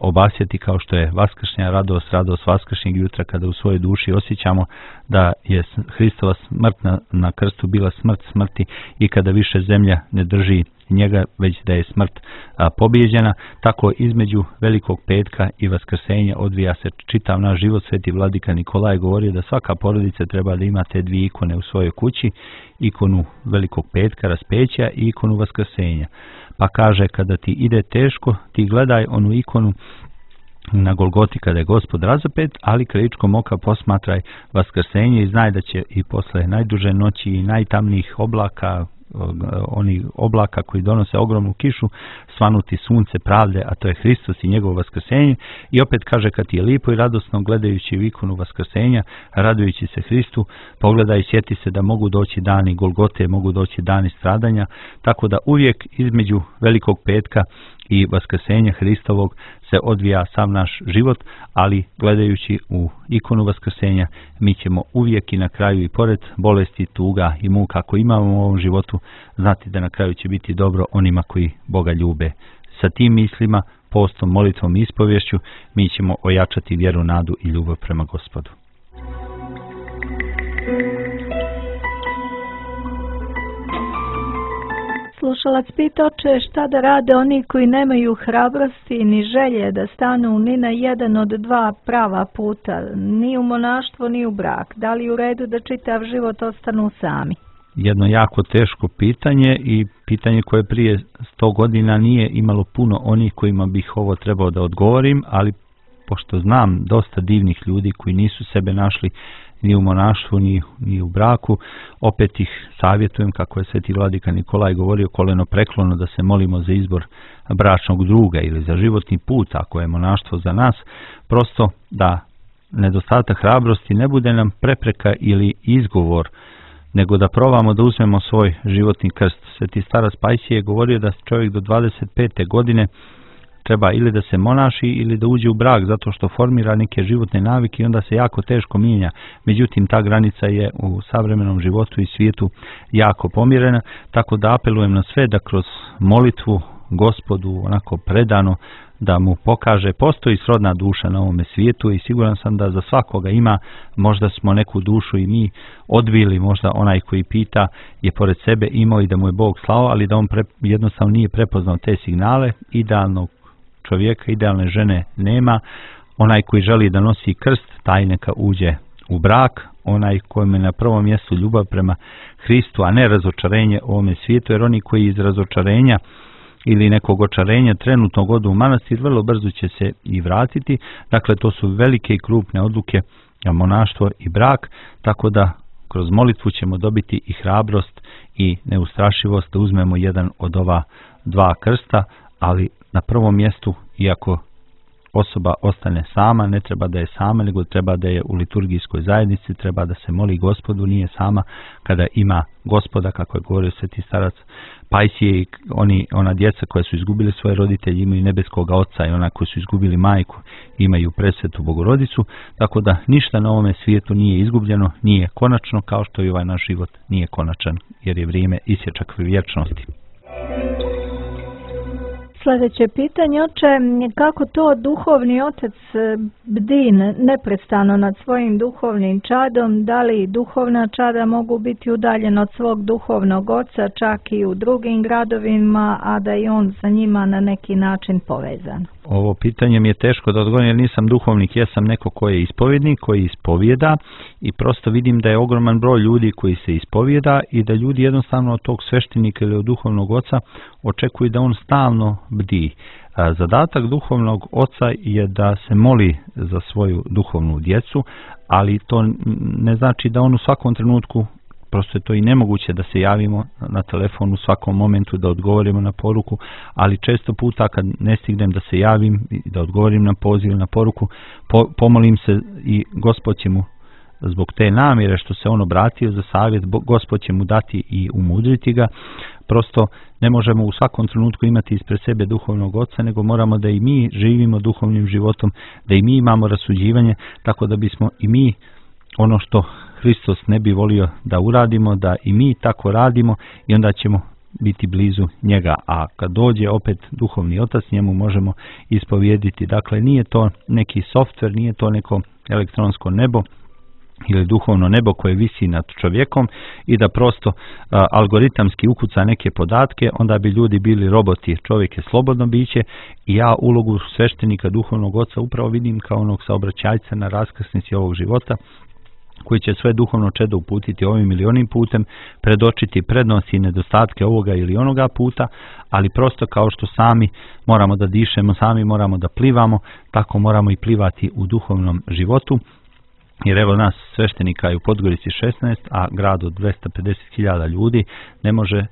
obasjeti kao što je vaskršnja radost, radost vaskršnjeg jutra, kada u svojoj duši osjećamo da je Hristova smrt na, na krstu bila smrt smrti i kada više zemlja ne drži njega, već da je smrt a, pobijeđena. Tako između Velikog petka i Vaskrsenja odvija se čitav naš život. Sveti vladika Nikolaj je govorio da svaka porodica treba da ima te dvije ikone u svojoj kući, ikonu Velikog petka, raspeća, i ikonu Vaskrsenja. Pa kaže, kada ti ide teško, ti gledaj onu ikonu na Golgoti kada je Gospod razapet, ali krajičkom oka posmatraj Vaskrsenje i znaj da će i posle najduže noći i najtamnijih oblaka, oni oblaka koji donose ogromnu kišu, svanuti sunce pravde, a to je Hristos i njegovo vaskrsenje. I opet kaže, kad ti je lipo i radosno gledajući u ikonu vaskrsenja, radujući se Hristu, pogledaj i sjeti se da mogu doći dani Golgote, mogu doći dani stradanja, tako da uvijek između Velikog petka i Vaskrsenja Hristovog se odvija sav naš život, ali gledajući u ikonu Vaskrsenja mi ćemo uvijek i na kraju i pored bolesti, tuga i muka ako imamo u ovom životu znati da na kraju će biti dobro onima koji Boga ljube. Sa tim mislima, postom, molitvom i ispovješću mi ćemo ojačati vjeru, nadu i ljubav prema Gospodu. Slušalac pita, oče, šta da rade oni koji nemaju hrabrosti ni želje da stanu ni na jedan od dva prava puta, ni u monaštvo ni u brak? Da li u redu da čitav život ostanu sami? Jedno jako teško pitanje i pitanje koje prije sto godina nije imalo puno onih kojima bih ovo trebao da odgovorim, ali pošto znam dosta divnih ljudi koji nisu sebe našli ni u monaštvu, ni, ni u braku, opet ih savjetujem, kako je sveti vladika Nikolaj govorio, koleno preklono da se molimo za izbor bračnog druga ili za životni put, ako je monaštvo za nas, prosto da nedostatak hrabrosti ne bude nam prepreka ili izgovor, nego da probamo da uzmemo svoj životni krst. Sveti starac Pajsije je govorio da čovjek do dvadeset pete godine treba ili da se monaši ili da uđe u brak, zato što formira neke životne navike i onda se jako teško mijenja. Međutim, ta granica je u savremenom životu i svijetu jako pomjerena, tako da apelujem na sve da kroz molitvu Gospodu onako predano da mu pokaže, postoji srodna duša na ovome svijetu i siguran sam da za svakoga ima. Možda smo neku dušu i mi odbili, možda onaj koji pita je pored sebe imao i da mu je Bog slao, ali da on pre, jednostavno nije prepoznao te signale. Idealnog čovjeka, idealne žene nema. Onaj koji želi da nosi krst, taj neka uđe u brak. Onaj kojem je na prvom mjestu ljubav prema Hristu, a ne razočarenje u ovome svijetu, jer oni koji iz razočarenja ili nekog očarenja trenutno odu u manastir, vrlo brzo će se i vratiti. Dakle, to su velike i krupne odluke, monaštvo i brak, tako da kroz molitvu ćemo dobiti i hrabrost i neustrašivost da uzmemo jedan od ova dva krsta, ali na prvom mjestu, iako osoba ostane sama, ne treba da je sama, nego treba da je u liturgijskoj zajednici, treba da se moli Gospodu, nije sama kada ima Gospoda, kako je govorio sveti starac Pajsije, i oni, ona djeca koja su izgubili svoje roditelje imaju nebeskoga oca i ona koji su izgubili majku imaju presvetu Bogorodicu, tako da ništa na ovome svijetu nije izgubljeno, nije konačno, kao što i ovaj naš život nije konačan, jer je vrijeme isječak vječnosti. Sljedeće pitanje, oče, kako to duhovni otac bdi neprestano nad svojim duhovnim čadom, da li duhovna čada mogu biti udaljena od svog duhovnog oca čak i u drugim gradovima, a da i on sa njima na neki način povezan? Ovo pitanje mi je teško da odgovorim jer nisam duhovnik, ja sam neko koji je ispovjednik, koji ispovjeda i prosto vidim da je ogroman broj ljudi koji se ispovjeda i da ljudi jednostavno od tog sveštenika ili od duhovnog oca očekuju da on stalno bdi. Zadatak duhovnog oca je da se moli za svoju duhovnu djecu, ali to ne znači da on u svakom trenutku, prosto je to i nemoguće da se javimo na telefon u svakom momentu, da odgovorimo na poruku, ali često puta kad ne stignem da se javim i da odgovorim na poziv, na poruku, po, pomolim se i Gospod će mu zbog te namjere što se on obratio za savjet, Gospod će mu dati i umudriti ga. Prosto ne možemo u svakom trenutku imati ispred sebe duhovnog oca, nego moramo da i mi živimo duhovnim životom, da i mi imamo rasuđivanje, tako da bismo i mi ono što Hristos ne bi volio da uradimo, da i mi tako radimo i onda ćemo biti blizu njega. A kad dođe opet duhovni otac, njemu možemo ispovijediti. Dakle, nije to neki softver, nije to neko elektronsko nebo ili duhovno nebo koje visi nad čovjekom i da prosto a, algoritamski ukuca neke podatke, onda bi ljudi bili roboti. Čovjek je slobodno biće i ja ulogu sveštenika duhovnog oca upravo vidim kao onog saobraćajca na raskrsnici ovog života, koji će sve duhovno čedo uputiti ovim ili onim putem, predočiti prednosti i nedostatke ovoga ili onoga puta, ali prosto kao što sami moramo da dišemo, sami moramo da plivamo, tako moramo i plivati u duhovnom životu. Jer evo nas sveštenika je u Podgorici šesnaest, a grad od dvesta pedeset hiljada ljudi, ne može,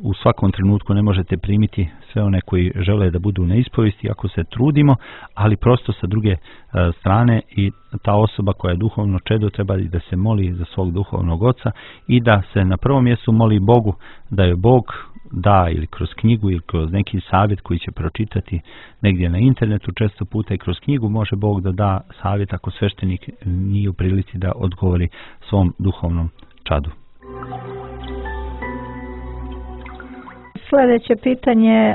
u svakom trenutku ne možete primiti sve one koji žele da budu na ispovesti ako se trudimo, ali prosto sa druge strane i ta osoba koja je duhovno čedo treba da se moli za svog duhovnog oca i da se na prvom mjestu moli Bogu da je Bog da ili kroz knjigu ili kroz neki savjet koji će pročitati negdje na internetu, često puta i kroz knjigu može Bog da da savjet ako sveštenik nije u prilici da odgovori svom duhovnom čadu. Sljedeće pitanje,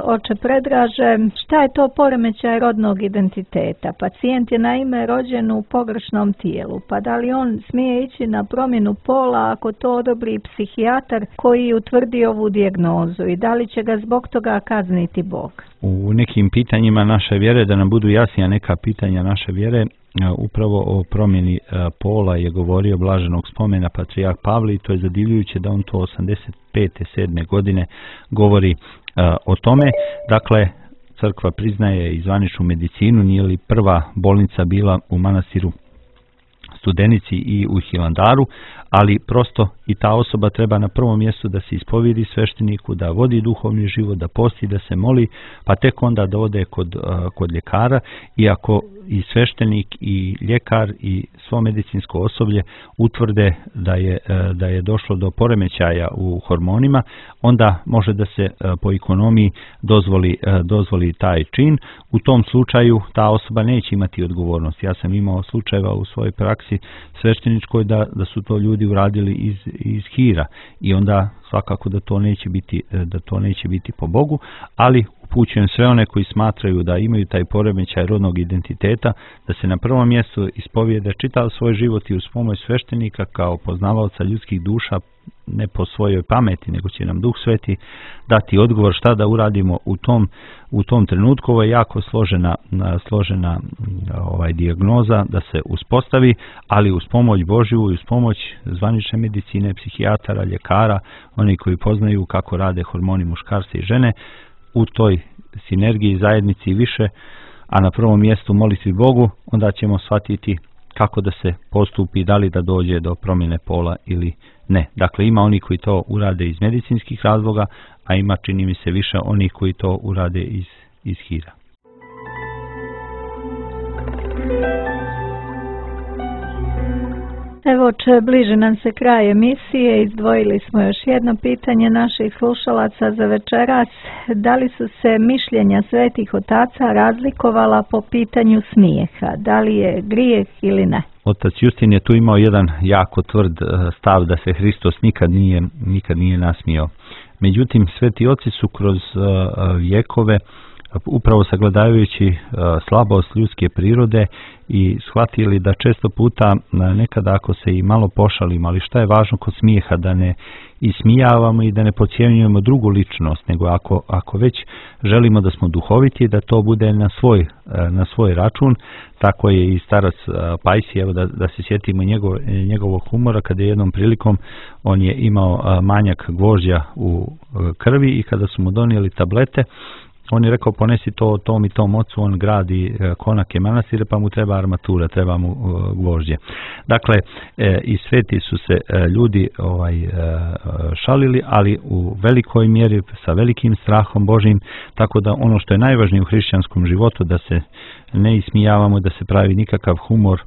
oče Predraže, šta je to poremećaj rodnog identiteta? Pacijent je naime rođen u pogrešnom tijelu, pa da li on smije ići na promjenu pola ako to odobri psihijatar koji utvrdi ovu dijagnozu i da li će ga zbog toga kazniti Bog? U nekim pitanjima naše vjere, da nam budu jasnija neka pitanja naše vjere, upravo o promjeni pola je govorio blaženog spomena patrijarh Pavle i to je zadivljujuće da on to osamdeset pete sedme godine govori o tome. Dakle, crkva priznaje i zvaničnu medicinu, nije li prva bolnica bila u manastiru Studenici i u Hilandaru, ali prosto i ta osoba treba na prvom mjestu da se ispovjedi svešteniku, da vodi duhovni život, da posti, da se moli, pa tek onda da ode kod, kod ljekara. Iako i sveštenik i ljekar i svo medicinsko osoblje utvrde da je, da je došlo do poremećaja u hormonima, onda može da se po ekonomiji dozvoli, dozvoli taj čin. U tom slučaju ta osoba neće imati odgovornost. Ja sam imao slučajeva u svojoj praksi svešteničkoj da, da su to ljudi uradili iz, iz hira i onda svakako da to neće biti, da to neće biti po Bogu, ali upućujem sve one koji smatraju da imaju taj poremećaj rodnog identiteta, da se na prvom mjestu ispovijede čitav svoj život i uz pomoć sveštenika kao poznavaoca ljudskih duša, ne po svojoj pameti, nego će nam Duh Sveti dati odgovor šta da uradimo u tom, u tom trenutku. Ovo je jako složena, složena ovaj, dijagnoza da se uspostavi, ali uz pomoć Božju i uz pomoć zvanične medicine, psihijatara, ljekara, oni koji poznaju kako rade hormoni muškarca i žene, u toj sinergiji, zajednici više, a na prvom mjestu molitvi Bogu, onda ćemo shvatiti kako da se postupi, da li da dođe do promjene pola ili ne. Dakle, ima oni koji to urade iz medicinskih razloga, a ima, čini mi se, više oni koji to urade iz, iz hira. Evo, če bliže nam se kraj emisije, izdvojili smo još jedno pitanje naših slušalaca za večeras. Da li su se mišljenja svetih otaca razlikovala po pitanju smijeha? Da li je grijeh ili ne? Otac Justin je tu imao jedan jako tvrd stav da se Hristos nikad nije, nikad nije nasmijao. Međutim, sveti oci su kroz vjekove, upravo sagledavajući slabost ljudske prirode i shvatili da često puta nekada ako se i malo pošalimo, ali šta je važno kod smijeha, da ne ismijavamo i da ne podcjenjujemo drugu ličnost, nego ako, ako već želimo da smo duhoviti, da to bude na svoj, na svoj račun. Tako je i starac Pajsi, evo da, da se sjetimo njegov, njegovog humora, kada je jednom prilikom on je imao manjak gvožđa u krvi i kada su mu donijeli tablete, on je rekao ponesi to tom i tom ocu, on gradi konake manastire pa mu treba armatura, treba mu gvožđe. Dakle, e, i sveti su se e, ljudi ovaj, e, šalili, ali u velikoj mjeri sa velikim strahom Božim, tako da ono što je najvažnije u hrišćanskom životu, da se ne ismijavamo, da se pravi nikakav humor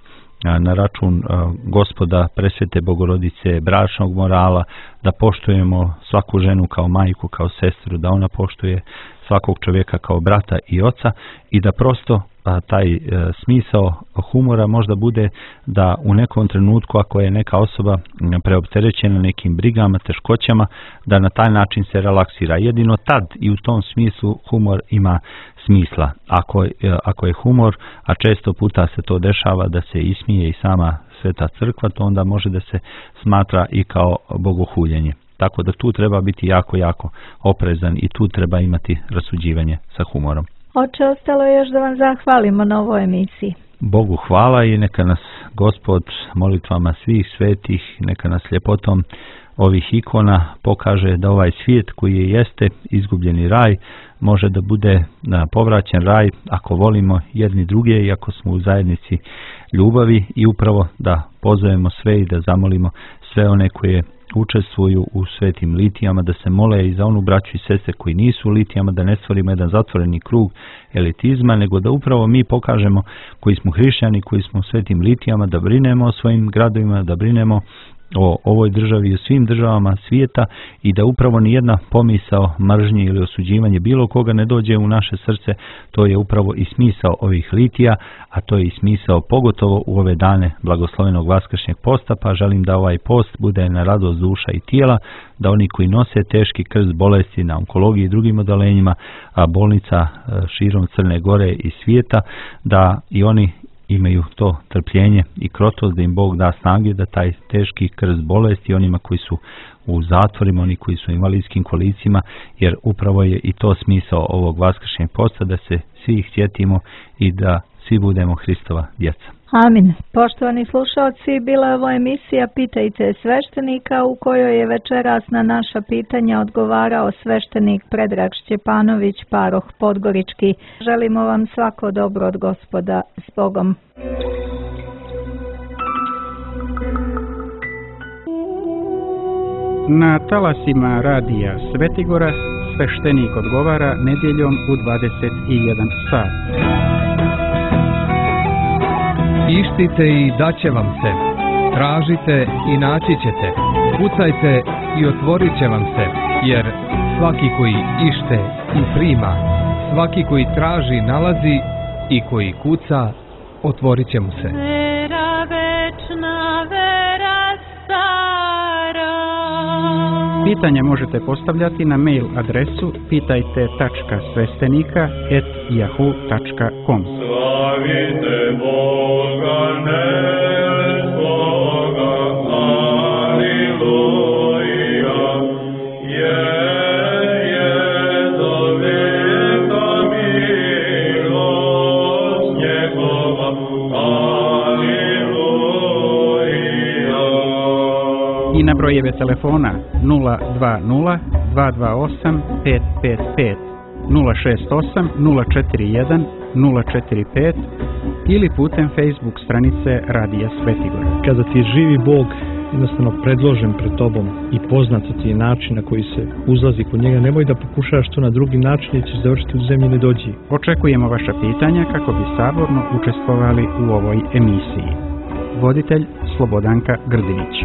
na račun Gospoda, presvete Bogorodice, bračnog morala, da poštujemo svaku ženu kao majku, kao sestru, da ona poštuje svakog čovjeka kao brata i oca i da prosto a, taj e, smisao humora možda bude da u nekom trenutku ako je neka osoba preopterećena nekim brigama, teškoćama, da na taj način se relaksira. Jedino tad i u tom smislu humor ima smisla. Ako, e, ako je humor, a često puta se to dešava da se ismije i sama Sveta crkva, to onda može da se smatra i kao bogohuljenje. Tako da tu treba biti jako, jako oprezan i tu treba imati rasuđivanje sa humorom. Oče, ostalo je još da vam zahvalimo na ovoj emisiji. Bogu hvala i neka nas Gospod molitvama svih svetih, neka nas ljepotom ovih ikona pokaže da ovaj svijet koji jeste izgubljeni raj može da bude povraćen raj ako volimo jedni druge i ako smo u zajednici ljubavi i upravo da pozovemo sve i da zamolimo sve one koje učestvuju u svetim litijama, da se mole i za onu braću i sestre koji nisu u litijama, da ne stvorimo jedan zatvoreni krug elitizma, nego da upravo mi pokažemo koji smo hrišćani, koji smo u svetim litijama, da brinemo o svojim gradovima, da brinemo o ovoj državi i o svim državama svijeta i da upravo nijedna pomisao mržnje ili osuđivanje bilo koga ne dođe u naše srce. To je upravo i smisao ovih litija, a to je i smisao pogotovo u ove dane blagoslovenog vaskršnjeg posta, pa želim da ovaj post bude na radost duša i tijela, da oni koji nose teški krst bolesti na onkologiji i drugim odolenjima, a bolnica širom Crne Gore i svijeta, da i oni imaju to trpljenje i krotost, da im Bog da snage da taj teški krst bolesti onima koji su u zatvorima, oni koji su u invalidskim kolicima, jer upravo je i to smisao ovog vaskršnjeg posta, da se svi ih sjetimo i da svi budemo Hristova djeca. Amin. Poštovani slušalci, bila je ovo emisija Pitajte sveštenika u kojoj je večeras na naša pitanja odgovarao sveštenik Predrag Šćepanović, paroh Podgorički. Želimo vam svako dobro od Gospoda. S Bogom. Na talasima radija Svetigora sveštenik odgovara nedjeljom u dvadeset jedan sat. Ištite i daće vam se. Tražite i naći ćete. Kucajte i otvorit će vam se. Jer svaki koji ište i prima, svaki koji traži nalazi i koji kuca, otvorit će mu se. Vera večna, vera stara. Pitanja možete postavljati na mail adresu pitajte tačka sveštenika et yahoo tačka com. Slavite Boga nebesnoga, aleluja, jer je do vijeka milost njegova, aleluja. I na brojeve telefona nula dva nula dva dva osam pet pet pet, nula šest osam nula četiri jedan nula četiri pet ili putem Facebook stranice Radija Svetigora. Kada ti je živi Bog jednostavno predložen pred tobom i poznat ti je način na koji se uzlazi kod njega, nemoj da pokušaš to na drugi način jer ćeš završiti u zemlji nedođi. Očekujemo vaša pitanja kako bi saborno učestvovali u ovoj emisiji. Voditelj Slobodanka Grdinić.